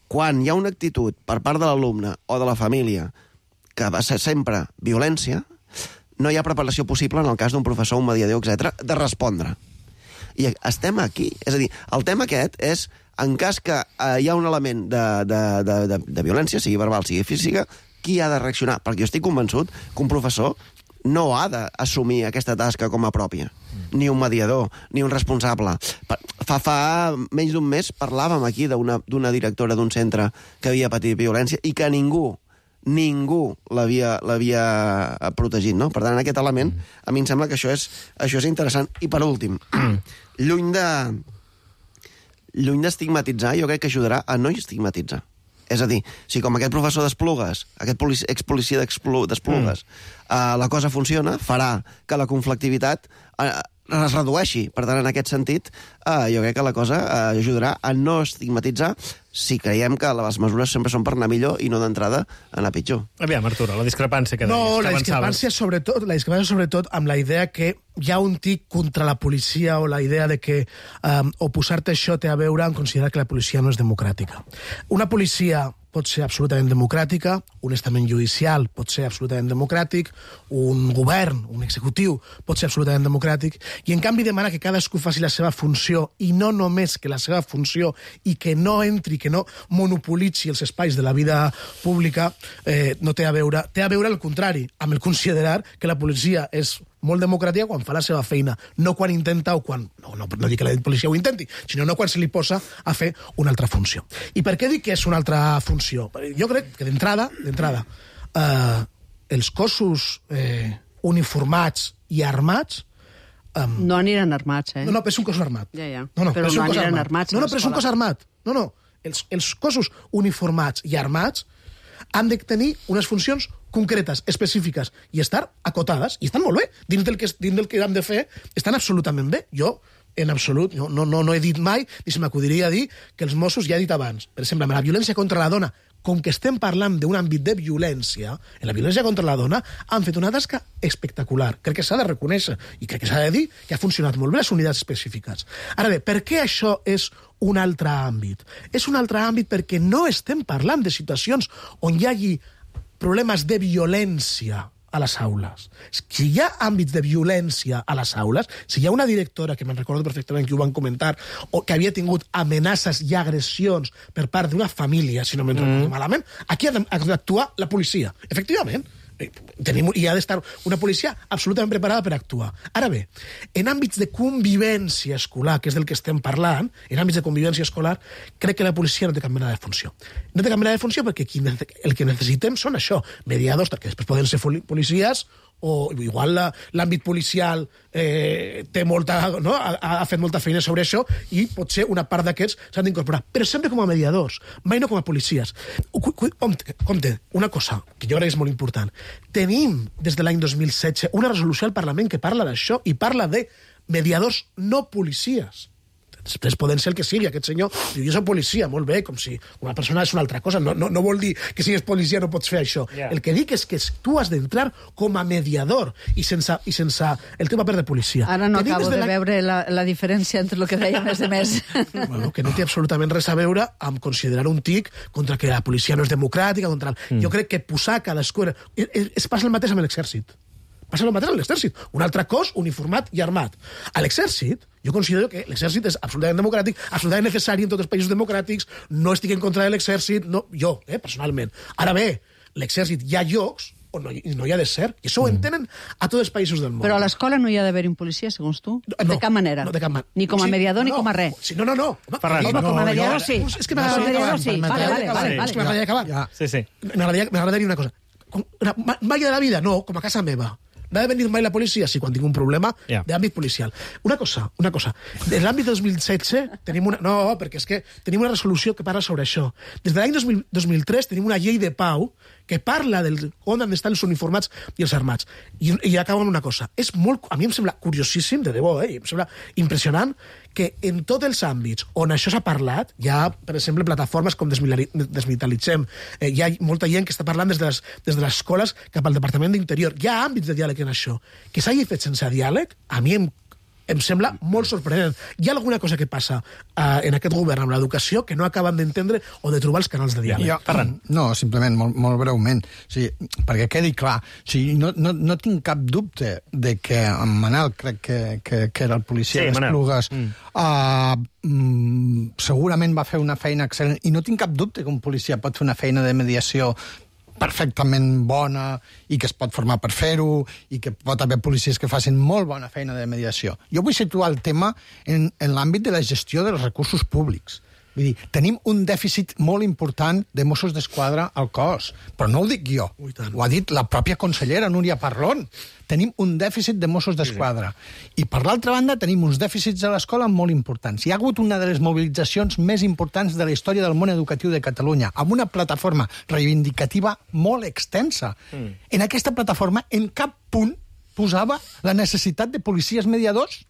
quan hi ha una actitud per part de l'alumne o de la família que va ser sempre violència, no hi ha preparació possible en el cas d'un professor, un mediador, etc, de respondre. I estem aquí. És a dir, el tema aquest és, en cas que hi ha un element de violència, sigui verbal, sigui física, qui ha de reaccionar? Perquè jo estic convençut que un professor no ha d'assumir aquesta tasca com a pròpia. Ni un mediador, ni un responsable. Fa menys d'un mes parlàvem aquí d'una directora d'un centre que havia patit violència i que ningú l'havia protegit, no? Per tant, en aquest element, a mi em sembla que això és interessant. I per últim, lluny d'estigmatitzar, jo crec que ajudarà a no estigmatitzar. És a dir, si com aquest professor d'Esplugues, aquest expolicia d'Esplugues, la cosa funciona, farà que la conflictivitat es redueixi. Per tant, en aquest sentit, jo crec que la cosa ajudarà a no estigmatitzar si creiem que les mesures sempre són per anar millor i no d'entrada anar pitjor. Aviam, Arturo, la discrepància que deies. No, la discrepància sobretot amb la idea que hi ha un tic contra la policia o la idea de que oposar-te a això té a veure amb considerar que la policia no és democràtica. Una policia pot ser absolutament democràtica, un estament judicial pot ser absolutament democràtic, un govern, un executiu pot ser absolutament democràtic, i en canvi demana que cadascú faci la seva funció, i no només que la seva funció, i que no entri, que no monopolitzi els espais de la vida pública, no té a veure al contrari, amb el considerar que la policia és molt democràtica quan fa la seva feina, no quan intenta o quan... No dic que la policia ho intenti, sinó no quan se li posa a fer una altra funció. I per què dic que és una altra funció? Jo crec que d'entrada, els cossos uniformats i armats... no aniran armats, eh? No, però és un cos armat. Ja. Però no aniran armats. No, però és un cos armat. No. Els cossos uniformats i armats han de tenir unes funcions concretes, específiques, i estar acotades, i estan molt bé. Dins del que han de fer, estan absolutament bé. Jo, en absolut, no he dit mai, ni se m'acudiria dir que els Mossos, ja he dit abans, per exemple, amb la violència contra la dona, com que estem parlant d'un àmbit de violència, en la violència contra la dona han fet una tasca espectacular. Crec que s'ha de reconèixer i crec que s'ha de dir que ha funcionat molt bé les unitats específiques. Ara bé, per què això és un altre àmbit? És un altre àmbit perquè no estem parlant de situacions on hi hagi problemes de violència a les aules. Si hi ha àmbits de violència a les aules, si hi ha una directora, que me'n recordo perfectament que ho van comentar, o que havia tingut amenaces i agressions per part d'una família, si no me'n recordo malament, aquí ha d'actuar la policia. Efectivament. I ha d'estar una policia absolutament preparada per actuar. Ara bé, en àmbits de convivència escolar, que és del que estem parlant, en àmbits de convivència escolar, crec que la policia no té cap mena de funció. No té cap mena de funció perquè el que necessitem són això, mediadors, que després poden ser policies, o igual l'àmbit policial té molta, no? ha fet molta feina sobre això i potser una part d'aquests s'han d'incorporar, però sempre com a mediadors, mai no com a policies. Compte, una cosa que jo crec que és molt important. Tenim des de l'any 2016 una resolució al Parlament que parla d'això i parla de mediadors no policies. Després poden ser el que sigui. Aquest senyor diu, jo soc policia, molt bé, com si una persona és una altra cosa. No vol dir que si és policia no pots fer això. Yeah. El que dic és que tu has d'entrar com a mediador i sense el teu paper de policia. Ara no acabo de veure la diferència entre el que deien els demés. Bueno, que no té absolutament res a veure amb considerar un tic contra que la policia no és democràtica. Jo crec que posar cadascú... Es passa el mateix amb l'exèrcit. Passa el mateix a l'exèrcit. Un altre cos uniformat i armat. A l'exèrcit, jo considero que l'exèrcit és absolutament democràtic, absolutament necessari en tots els països democràtics, no estic en contra de l'exèrcit, no, jo, personalment. Ara bé, l'exèrcit hi ha llocs on no hi ha de ser, i això ho entenen a tots els països del món. Però a l'escola no hi ha d'haver un policia, segons tu? De cap manera. No, de cap manera. Ni com a mediador ni com a res. Sí, no. Ferran, com a mediador sí. És que m'agradaria acabar. Sí. M'agradaria dir una cosa. Mai de la vida, no, com a casa meva. No ha de venir mai la policia? Sí, quan tinc un problema d'àmbit policial. Una cosa. De l'àmbit 2016 tenim una... No, perquè és que tenim una resolució que parla sobre això. Des de l'any 2003 tenim una llei de pau que parla on han d'estar els uniformats i els armats. I acabo amb una cosa. A mi em sembla curiosíssim, de debò, em sembla impressionant que en tots els àmbits on això s'ha parlat, hi ha, per exemple, plataformes com Desmilitaritzem, hi ha molta gent que està parlant des de les escoles cap al Departament d'Interior. Hi ha àmbits de diàleg en això. Que s'hagi fet sense diàleg, a mi em sembla molt sorprenent. Hi ha alguna cosa que passa en aquest govern amb l'educació que no acaben d'entendre o de trobar els canals de diàleg. No, simplement, molt breument. O sigui, perquè quedi clar, o sigui, no tinc cap dubte de que en Manel, crec que era el policia d'Esplugues, segurament va fer una feina excel·lent, i no tinc cap dubte que un policia pot fer una feina de mediació perfectament bona i que es pot formar per fer-ho i que pot haver policies que facin molt bona feina de mediació. Jo vull situar el tema en l'àmbit de la gestió dels recursos públics. Vull dir, tenim un dèficit molt important de Mossos d'Esquadra al cos, però no ho dic jo, ho ha dit la pròpia consellera Núria Parlon. Tenim un dèficit de Mossos d'Esquadra. I per l'altra banda tenim uns dèficits a l'escola molt importants. Hi ha hagut una de les mobilitzacions més importants de la història del món educatiu de Catalunya, amb una plataforma reivindicativa molt extensa. En aquesta plataforma en cap punt posava la necessitat de policies mediadors.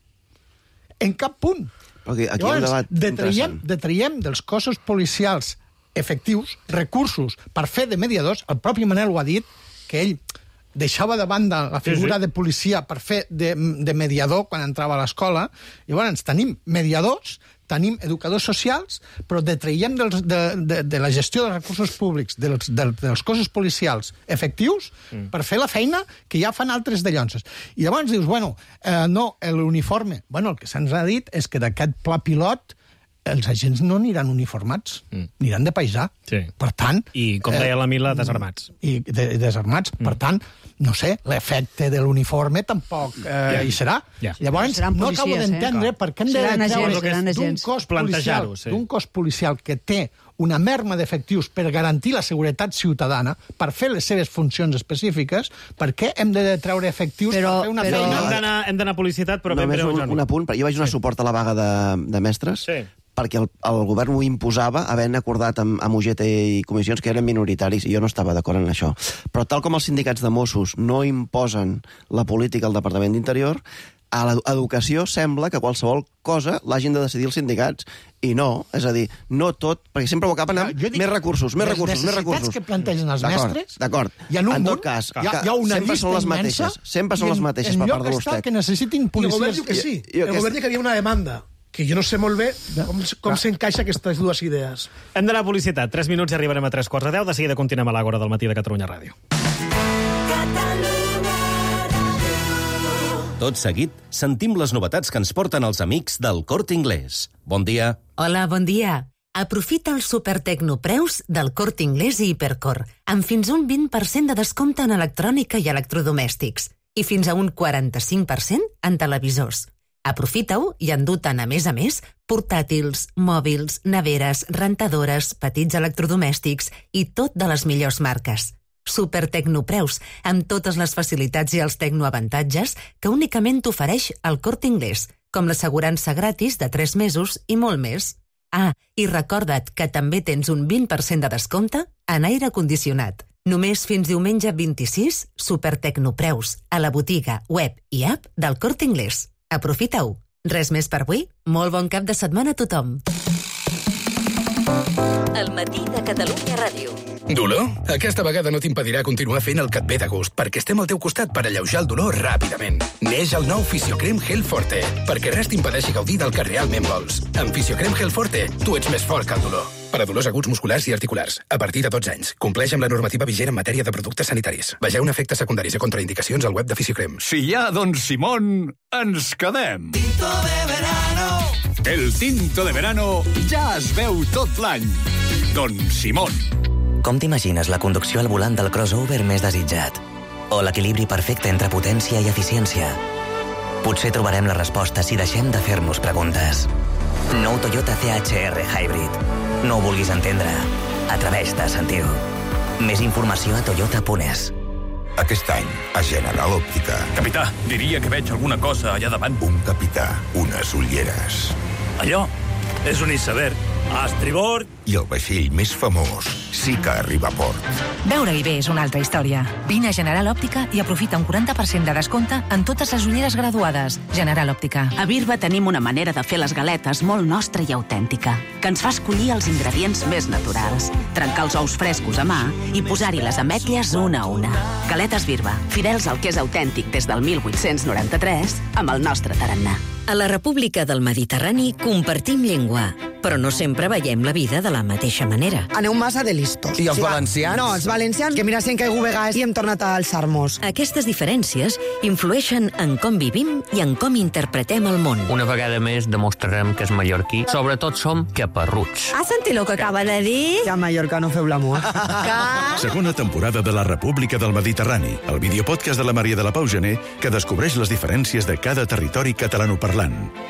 En cap punt. Okay, aquí llavors, detraiem dels cossos policials efectius recursos per fer de mediadors. El propi Manel ho ha dit, que ell deixava de banda la figura de policia per fer de mediador quan entrava a l'escola. Llavors tenim mediadors, tenim educadors socials, però detraiem de la gestió dels recursos públics dels cossos policials efectius per fer la feina que ja fan altres de llonses. I llavors dius, no, l'uniforme. El que se'ns ha dit és que d'aquest pla pilot els agents no aniran uniformats, aniran de paisà. Per tant... I, com deia la Mila, desarmats. I desarmats. Per tant, no sé, l'efecte de l'uniforme tampoc hi serà. Llavors, no acabo d'entendre per què hem de treure d'un cos policial que té una merma d'efectius per garantir la seguretat ciutadana, per fer les seves funcions específiques, per què hem de treure efectius per fer una feina? Hem d'anar a publicitat, però... Només un apunt, jo vaig donar suport a la vaga de mestres, perquè el govern ho imposava, havent acordat amb UGT i comissions que eren minoritaris, i jo no estava d'acord en això. Però tal com els sindicats de Mossos no imposen la política al Departament d'Interior, a l'educació sembla que qualsevol cosa l'hagin de decidir els sindicats. I no, és a dir, no tot, perquè sempre ho acaben amb més recursos. Les necessitats que plantegen els mestres, en tot cas, hi ha una llista immensa, sempre són les mateixes per part de l'USTEC. Que necessitin policies. El govern diu que sí. El govern diu que hi havia una demanda, que jo no sé molt bé com s'encaixa aquestes dues idees. Hem d'anar a publicitat. 3 minuts i arribarem a 3:45. De seguida continuem a l'Àgora del matí de Catalunya Ràdio. Tot seguit, sentim les novetats que ens porten els amics del Corte Inglés. Bon dia. Hola, bon dia. Aprofita els supertecnopreus del Corte Inglés i Hipercor, amb fins un 20% de descompte en electrònica i electrodomèstics, i fins a un 45% en televisors. Aprofita-ho i endú-te'n, a més, portàtils, mòbils, neveres, rentadores, petits electrodomèstics i tot de les millors marques. Supertecnopreus, amb totes les facilitats i els tecnoavantatges que únicament t'ofereix el Corte Inglés, com l'assegurança gratis de 3 mesos i molt més. Ah, i recorda't que també tens un 20% de descompte en aire condicionat. Només fins diumenge 26, Supertecnopreus, a la botiga, web i app del Corte Inglés. Aprofita-ho. Res més per avui? Molt bon cap de setmana a tothom. El matí de Catalunya Ràdio. Dolor? Aquesta vegada no t'impedirà continuar fent el que et ve de gust, perquè estem al teu costat per alleujar el dolor ràpidament. Neix el nou Fisiocrem Gel Forte, perquè res t'impedeixi gaudir del que realment vols. Amb Fisiocrem Gel Forte, tu ets més fort que el dolor. per a dolors aguts musculars i articulars, a partir de 12 anys. Compleix amb la normativa vigent en matèria de productes sanitaris. Vegeu efectes secundaris i contraindicacions al web de Fisiocrem. Si hi ha Don Simón, ens quedem. Tinto de verano. El tinto de verano ja es veu tot l'any. Don Simón. Com t'imagines la conducció al volant del crossover més desitjat? O l'equilibri perfecte entre potència i eficiència? Potser trobarem la resposta si deixem de fer-nos preguntes. Nou Toyota CHR Hybrid. No ho vulguis entendre. Atreveix-te a sentir-ho. Més informació a toyota.es. Aquest any, a General Òptica. Capità, diria que veig alguna cosa allà davant. Un capità, unes ulleres. Allò és un iceberg. A estribord. I el vaixell més famós sí que arriba a port. Veure-hi bé és una altra història. Vine a General Òptica i aprofita un 40% de descompte en totes les ulleres graduades. General Òptica. A Birba tenim una manera de fer les galetes molt nostra i autèntica, que ens fa escollir els ingredients més naturals, trencar els ous frescos a mà i posar-hi les ametlles una a una. Galetes Birba, fidels al que és autèntic des del 1893, amb el nostre tarannà. A la República del Mediterrani compartim llengua, però no sempre veiem la vida de la mateixa manera. Aneu massa de listos. I els valencians? No, els valencians, que mira, si hem caigut vegades i hem tornat a alçar-nos. Aquestes diferències influeixen en com vivim i en com interpretem el món. Una vegada més demostrarem que és mallorquí. Sobretot som caparruts. Has sentit el que acaba de dir? Ja a Mallorca no feu l'amor. Segona temporada de la República del Mediterrani, el videopodcast de la Maria de la Pau Gené, que descobreix les diferències de cada territori catalanoparlant.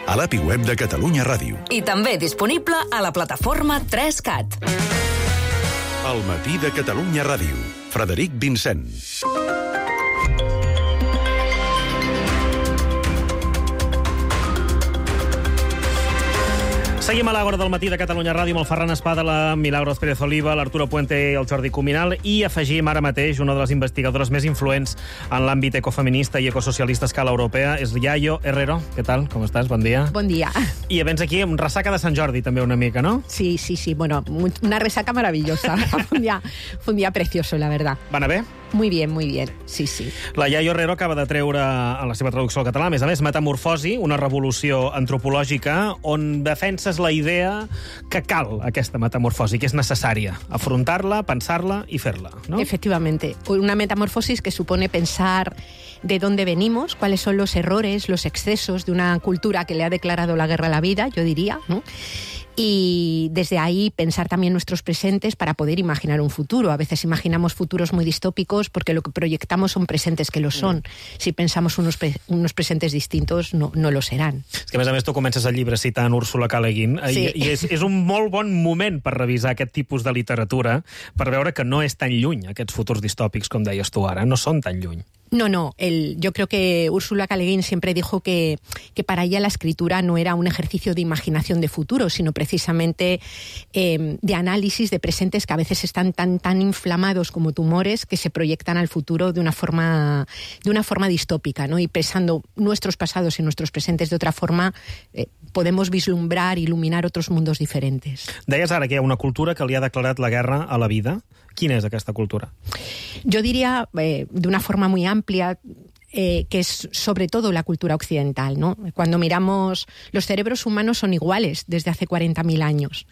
A l'API web de Catalunya Ràdio. I també disponible a la plataforma 3CAT. El matí de Catalunya Ràdio. Frederic Vincent. Seguim a l'Àgora del matí de Catalunya Ràdio amb el Ferran Espada, la Milagros Pérez Oliva, l'Arturo Puente i el Jordi Cuminal, i afegim ara mateix una de les investigadores més influents en l'àmbit ecofeminista i ecosocialista a escala europea, és Yayo Herrero. Què tal? Com estàs? Bon dia. Bon dia. I vens aquí amb ressaca de Sant Jordi, també, una mica, no? Sí. Bueno, una resaca maravillosa. Fue un día precioso, la verdad. Va anar bé? Muy bien, sí. La Yayo Herrero acaba de treure en la seva traducció al català, a més, Metamorfosi, una revolució antropològica, on defenses la idea que cal aquesta metamorfosi, que és necessària. Afrontar-la, pensar-la i fer-la, ¿no? Efectivamente. Una metamorfosis que supone pensar de dónde venimos, cuáles son los errores, los excesos de una cultura que le ha declarado la guerra a la vida, yo diría, ¿no? Y desde ahí pensar también nuestros presentes para poder imaginar un futuro. A veces imaginamos futuros muy distópicos porque lo que proyectamos son presentes que lo son. Si pensamos unos presentes distintos, no lo serán. És que, a més, tu comences el llibre citant Úrsula K. Le Guin, sí. I és un molt bon moment per revisar aquest tipus de literatura, per veure que no és tan lluny, aquests futurs distòpics, com deies tu ara, no són tan lluny. No, yo creo que Úrsula K. Le Guin siempre dijo que para ella la escritura no era un ejercicio de imaginación de futuro, sino precisamente de análisis de presentes que a veces están tan inflamados como tumores que se proyectan al futuro de una forma distópica, ¿no? Y pensando nuestros pasados y nuestros presentes de otra forma, podemos vislumbrar, iluminar otros mundos diferentes. Deies ara que hi ha una cultura que li ha declarat la guerra a la vida. Quina és aquesta cultura? Yo diría, de una forma muy amplia, que es sobre todo la cultura occidental, ¿no? Cuando miramos, los cerebros humanos son iguales desde hace 40.000 años.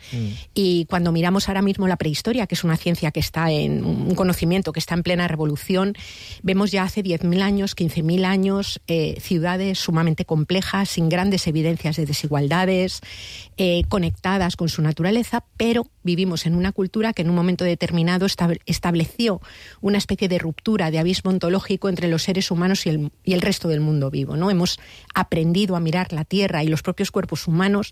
Y cuando miramos ahora mismo la prehistoria, que es una ciencia que está en un conocimiento que está en plena revolución, vemos ya hace 10.000 años, 15.000 años, ciudades sumamente complejas, sin grandes evidencias de desigualdades, conectadas con su naturaleza, pero vivimos en una cultura que en un momento determinado estableció una especie de ruptura, de abismo ontológico entre los seres humanos y el resto del mundo vivo, ¿no? Hemos aprendido a mirar la Tierra y los propios cuerpos humanos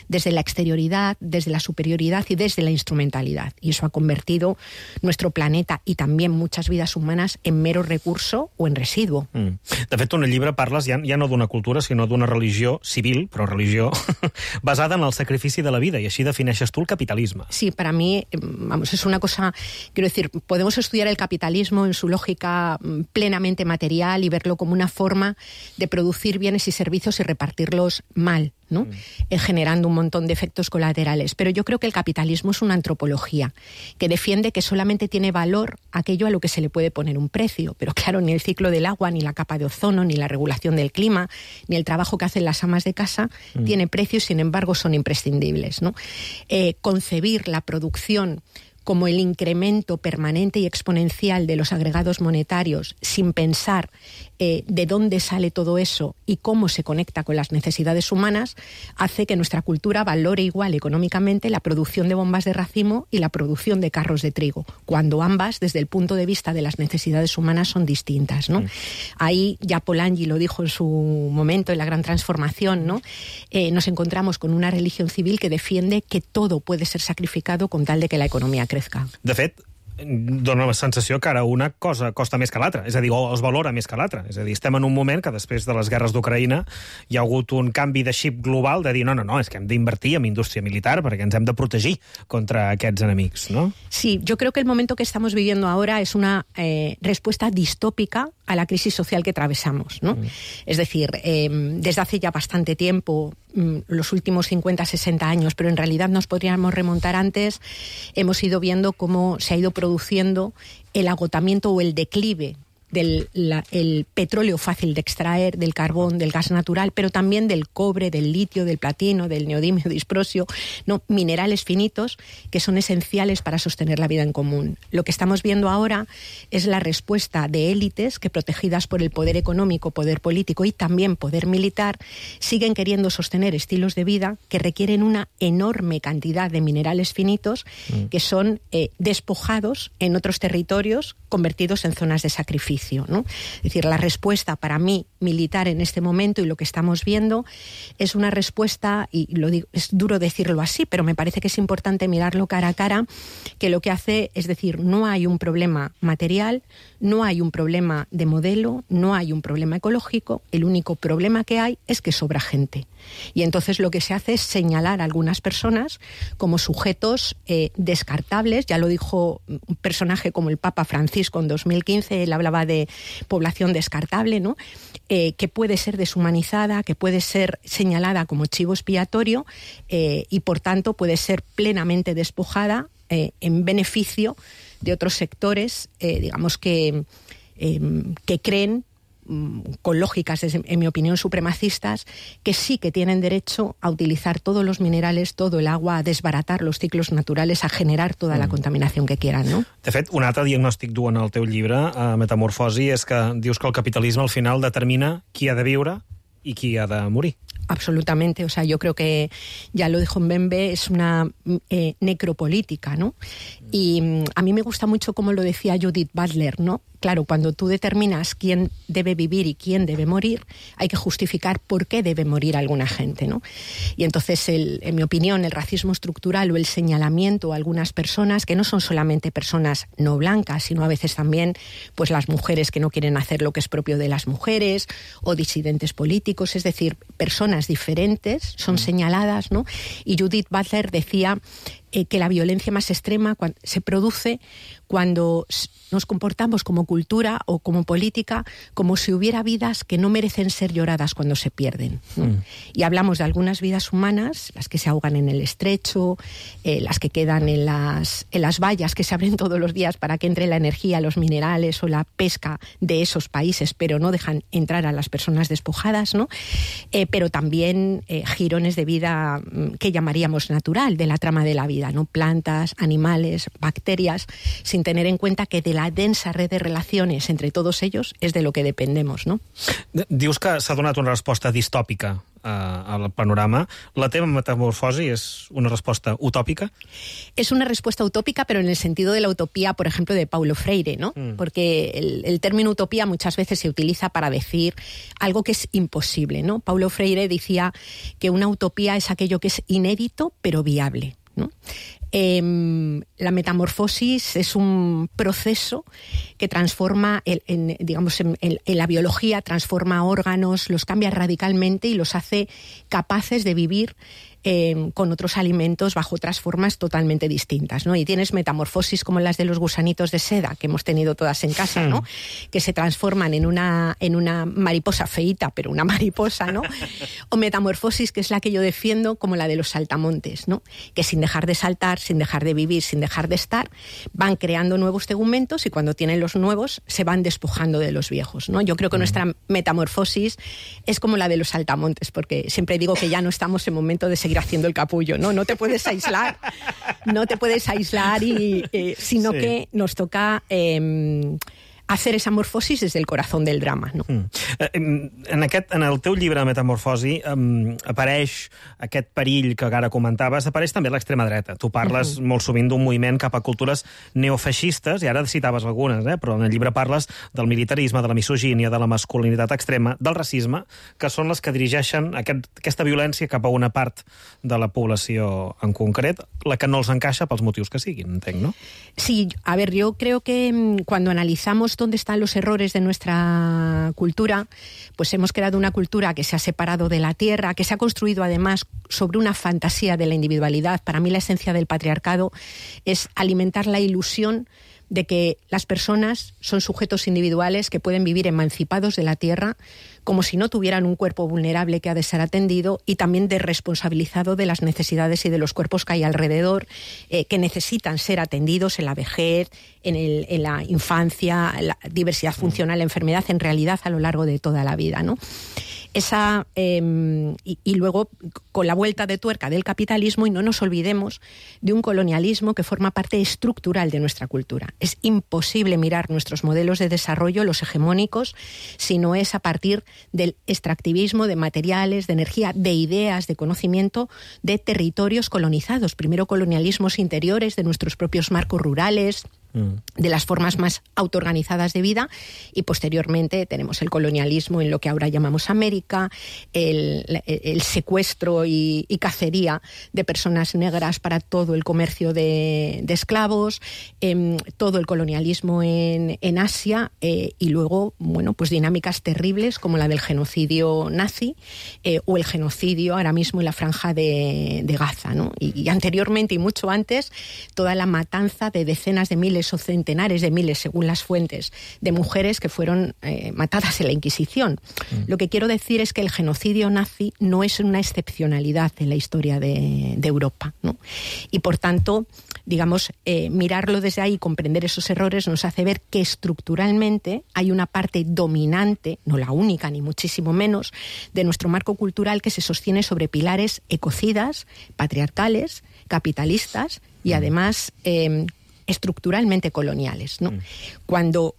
desde la exterioridad, desde la superioridad y desde la instrumentalidad. Y eso ha convertido nuestro planeta y también muchas vidas humanas en mero recurso o en residuo. De fet, en el llibre parles ja no d'una cultura, sinó d'una religió civil, però religió, basada en el sacrifici de la vida, i així defineixes tu el capitalisme. Sí, para mí, es una cosa, quiero decir, podemos estudiar el capitalismo en su lógica plenamente material y verlo verlo como una forma de producir bienes y servicios y repartirlos mal, ¿no? Generando un montón de efectos colaterales. Pero yo creo que el capitalismo es una antropología que defiende que solamente tiene valor aquello a lo que se le puede poner un precio. Pero claro, ni el ciclo del agua, ni la capa de ozono, ni la regulación del clima, ni el trabajo que hacen las amas de casa tiene precio y sin embargo son imprescindibles, ¿no? Concebir la producción como el incremento permanente y exponencial de los agregados monetarios, sin pensar de dónde sale todo eso y cómo se conecta con las necesidades humanas, hace que nuestra cultura valore igual económicamente la producción de bombas de racimo y la producción de carros de trigo, cuando ambas, desde el punto de vista de las necesidades humanas, son distintas, ¿no? Ahí ya Polanyi lo dijo en su momento, en la Gran Transformación, ¿no? Nos encontramos con una religión civil que defiende que todo puede ser sacrificado con tal de que la economía crezca. De fet, dona la sensació que ara una cosa costa més que l'altra, és a dir, o es valora més que l'altra. És a dir, estem en un moment que després de les guerres d'Ucraïna hi ha hagut un canvi de xip global de dir no, és que hem d'invertir en indústria militar perquè ens hem de protegir contra aquests enemics, ¿no? Sí, yo creo que el momento que estamos viviendo ahora es una respuesta distópica a la crisis social que atravesamos, ¿no? Es decir, desde hace ya bastante tiempo, los últimos 50, 60 años, pero en realidad nos podríamos remontar antes, hemos ido viendo cómo se ha ido produciendo el agotamiento o el declive del el petróleo fácil de extraer, del carbón, del gas natural, pero también del cobre, del litio, del platino, del neodimio, disprosio, ¿no? Minerales finitos que son esenciales para sostener la vida en común. Lo que estamos viendo ahora es la respuesta de élites que, protegidas por el poder económico, poder político y también poder militar, siguen queriendo sostener estilos de vida que requieren una enorme cantidad de minerales finitos que son despojados en otros territorios, convertidos en zonas de sacrificio, ¿no? Es decir, la respuesta para mí militar en este momento y lo que estamos viendo es una respuesta, y lo digo, es duro decirlo así, pero me parece que es importante mirarlo cara a cara, que lo que hace es decir, no hay un problema material, no hay un problema de modelo, no hay un problema ecológico, el único problema que hay es que sobra gente. Y entonces lo que se hace es señalar a algunas personas como sujetos descartables. Ya lo dijo un personaje como el Papa Francisco en 2015, él hablaba de población descartable, ¿no? Que puede ser deshumanizada, que puede ser señalada como chivo expiatorio y por tanto puede ser plenamente despojada en beneficio de otros sectores, digamos que creen, con lógicas, en mi opinión, supremacistas, que sí que tienen derecho a utilizar todos los minerales, todo el agua, a desbaratar los ciclos naturales, a generar toda la contaminación que quieran, ¿no? De fet, un altre diagnòstic dur en el teu llibre, Metamorfosi, és que dius que el capitalisme al final determina qui ha de viure i qui ha de morir. Absolutamente, o sea, yo creo que ya lo dijo Mbembe, es una necropolítica, ¿no? Y a mí me gusta mucho como lo decía Judith Butler, ¿no? Claro, cuando tú determinas quién debe vivir y quién debe morir, hay que justificar por qué debe morir alguna gente, ¿no? Y entonces, en mi opinión, el racismo estructural o el señalamiento a algunas personas, que no son solamente personas no blancas, sino a veces también pues las mujeres que no quieren hacer lo que es propio de las mujeres, o disidentes políticos, es decir, personas diferentes son señaladas, ¿no? Y Judith Butler decía que la violencia más extrema se produce cuando nos comportamos como cultura o como política como si hubiera vidas que no merecen ser lloradas cuando se pierden, ¿no? Y hablamos de algunas vidas humanas, las que se ahogan en el estrecho, las que quedan en las vallas que se abren todos los días para que entre la energía, los minerales o la pesca de esos países, pero no dejan entrar a las personas despojadas, ¿no? Pero también jirones de vida que llamaríamos natural, de la trama de la vida, ¿no? Plantas, animales, bacterias, sin tener en cuenta que de la densa red de relaciones entre todos ellos es de lo que dependemos, ¿no? Dius que s'ha donat una resposta distòpica al panorama. ¿La teva metamorfosi es una respuesta utópica? Es una respuesta utópica, pero en el sentido de la utopía, por ejemplo, de Paulo Freire, ¿no? Porque el término utopía muchas veces se utiliza para decir algo que es imposible, ¿no? Paulo Freire decía que una utopía es aquello que es inédito, pero viable, ¿no? La metamorfosis es un proceso que transforma, en la biología, transforma órganos, los cambia radicalmente y los hace capaces de vivir con otros alimentos bajo otras formas totalmente distintas, ¿no? Y tienes metamorfosis como las de los gusanitos de seda que hemos tenido todas en casa, ¿no? Que se transforman en una mariposa feíta, pero una mariposa, ¿no? O metamorfosis, que es la que yo defiendo, como la de los saltamontes, ¿no? Que sin dejar de saltar, sin dejar de vivir, sin dejar de estar, van creando nuevos tegumentos y cuando tienen los nuevos se van despojando de los viejos, ¿no? Yo creo que nuestra metamorfosis es como la de los saltamontes, porque siempre digo que ya no estamos en momento de seguir haciendo el capullo, ¿no? No te puedes aislar, sino que nos toca hacer esa morfosis des del corazón del drama, no? En el teu llibre Metamorfosi apareix aquest perill que ara comentaves, apareix també l'extrema dreta. Tu parles molt sovint d'un moviment cap a cultures neofeixistes, i ara citaves algunes, però en el llibre parles del militarisme, de la misogínia, de la masculinitat extrema, del racisme, que són les que dirigeixen aquesta violència cap a una part de la població en concret, la que no els encaixa pels motius que siguin, entenc, no? Sí, a ver, yo creo que cuando analizamos dónde están los errores de nuestra cultura, pues hemos creado una cultura que se ha separado de la tierra, que se ha construido además sobre una fantasía de la individualidad. Para mí la esencia del patriarcado es alimentar la ilusión de que las personas son sujetos individuales que pueden vivir emancipados de la tierra, como si no tuvieran un cuerpo vulnerable que ha de ser atendido y también desresponsabilizado de las necesidades y de los cuerpos que hay alrededor, que necesitan ser atendidos en la vejez, en la infancia, en la diversidad funcional, la enfermedad, en realidad a lo largo de toda la vida, ¿no? Y luego, con la vuelta de tuerca del capitalismo, y no nos olvidemos de un colonialismo que forma parte estructural de nuestra cultura. Es imposible mirar nuestros modelos de desarrollo, los hegemónicos, si no es a partir del extractivismo de materiales, de energía, de ideas, de conocimiento de territorios colonizados. Primero colonialismos interiores de nuestros propios marcos rurales, de las formas más autoorganizadas de vida, y posteriormente tenemos el colonialismo en lo que ahora llamamos América, el secuestro y cacería de personas negras para todo el comercio de esclavos, todo el colonialismo en Asia, y luego, bueno, pues dinámicas terribles como la del genocidio nazi o el genocidio ahora mismo en la franja de Gaza, ¿no? Y anteriormente y mucho antes, toda la matanza de decenas de miles o centenares de miles, según las fuentes, de mujeres que fueron matadas en la Inquisición. Lo que quiero decir es que el genocidio nazi no es una excepcionalidad en la historia de Europa, ¿no? Y por tanto, digamos, mirarlo desde ahí y comprender esos errores nos hace ver que estructuralmente hay una parte dominante, no la única ni muchísimo menos, de nuestro marco cultural que se sostiene sobre pilares ecocidas, patriarcales, capitalistas y además estructuralmente coloniales, ¿no? Cuando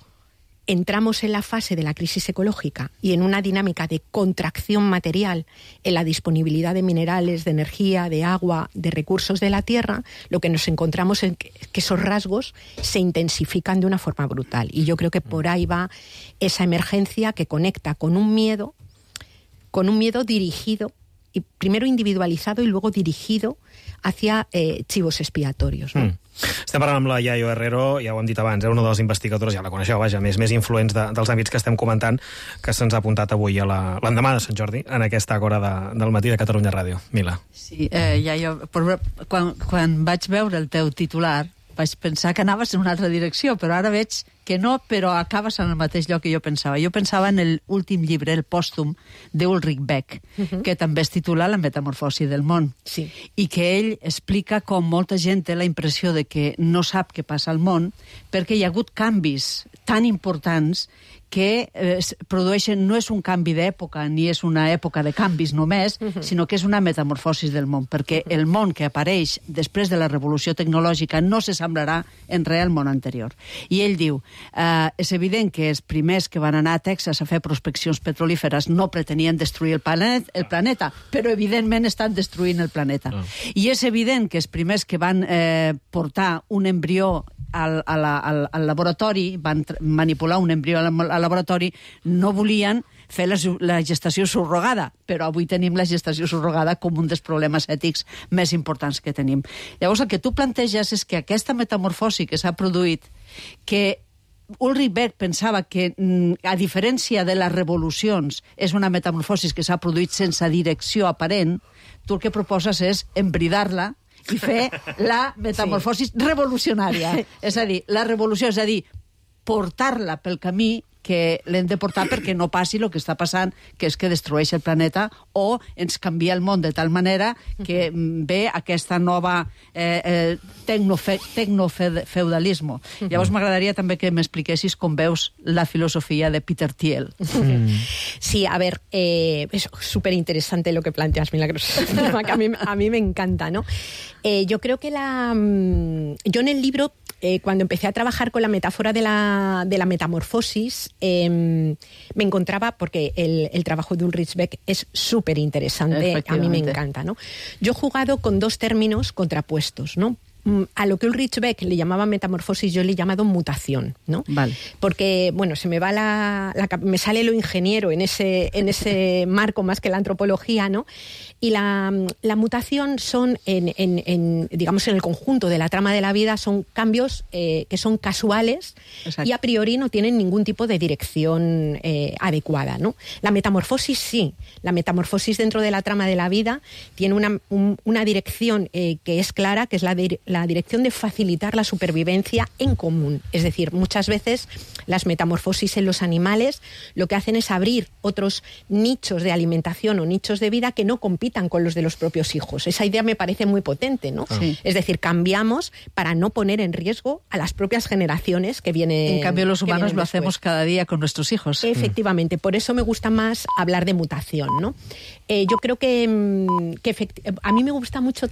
entramos en la fase de la crisis ecológica y en una dinámica de contracción material en la disponibilidad de minerales, de energía, de agua, de recursos de la tierra, lo que nos encontramos es que esos rasgos se intensifican de una forma brutal. Y yo creo que por ahí va esa emergencia que conecta con un miedo dirigido, y primero individualizado y luego dirigido hacia chivos expiatorios, no? Estem parlant amb la Yayo Herrero, ja ho hem dit abans, una de les investigadores, ja la coneixeu, vaja, més influents dels àmbits que estem comentant, que se'ns ha apuntat avui a l'endemà de Sant Jordi, en aquesta hora del matí de Catalunya Ràdio. Mila. Sí, Yayo, quan vaig veure el teu titular, vaig pensar que anaves en una altra direcció, però ara veig que no, però acabes en el mateix lloc que jo pensava. Jo pensava en l'últim llibre, el pòstum, d'Ulrich Beck, que també es titula La metamorfosi del món. Sí. I que ell explica com molta gent té la impressió de que no sap què passa al món perquè hi ha hagut canvis tan importants que produeixen, no és un canvi d'època ni és una època de canvis només, sinó que és una metamorfosi del món, perquè el món que apareix després de la revolució tecnològica no s'assemblarà en res al món anterior. I ell diu, és evident que els primers que van anar a Texas a fer prospeccions petrolíferes no pretenien destruir el planeta, però evidentment estan destruint el planeta. I és evident que els primers que van portar un embrió al laboratori, van manipular un embrió al laboratori, no volien fer la gestació subrogada, però avui tenim la gestació subrogada com un dels problemes ètics més importants que tenim. Llavors, el que tu planteges és que aquesta metamorfosi que s'ha produït, que Ulrich Beck pensava que, a diferència de les revolucions, és una metamorfosi que s'ha produït sense direcció aparent, tu el que proposes és embridar-la i fer la metamorfosi revolucionària. És a dir, la revolució, és a dir, portar-la pel camí que l'hem de portar perquè no passi el que està passant, que és que destrueix el planeta o ens canvia el món de tal manera que ve aquesta nova tecnofeudalisme. Llavors m'agradaria també que m'expliquessis com veus la filosofía de Peter Thiel. Sí, a ver, es súper interesante lo que planteas, Milagros, que a mí me encanta, ¿no? Yo creo que yo en el libro, cuando empecé a trabajar con la metáfora de la metamorfosis, me encontraba, porque el trabajo de Ulrich Beck es súper interesante, a mí me encanta, ¿no? Yo he jugado con dos términos contrapuestos, ¿no? A lo que Ulrich Beck le llamaba metamorfosis, yo le he llamado mutación, ¿no? Vale. Porque, bueno, se me va me sale lo ingeniero en ese marco más que la antropología, ¿no? Y la mutación son, digamos, en el conjunto de la trama de la vida, son cambios que son casuales. Exacto. Y a priori no tienen ningún tipo de dirección adecuada, ¿no? La metamorfosis sí. La metamorfosis dentro de la trama de la vida tiene una dirección que es clara, que es la dirección de facilitar la supervivencia en común. Es decir, muchas veces las metamorfosis en los animales lo que hacen es abrir otros nichos de alimentación o nichos de vida que no compitan con los de los propios hijos. Esa idea me parece muy potente, ¿no? Sí. Es decir, cambiamos para no poner en riesgo a las propias generaciones que vienen. En cambio, los humanos lo hacemos cada día con nuestros hijos. Efectivamente, por eso me gusta más hablar de mutación, ¿no? Yo creo que a mí me gusta mucho también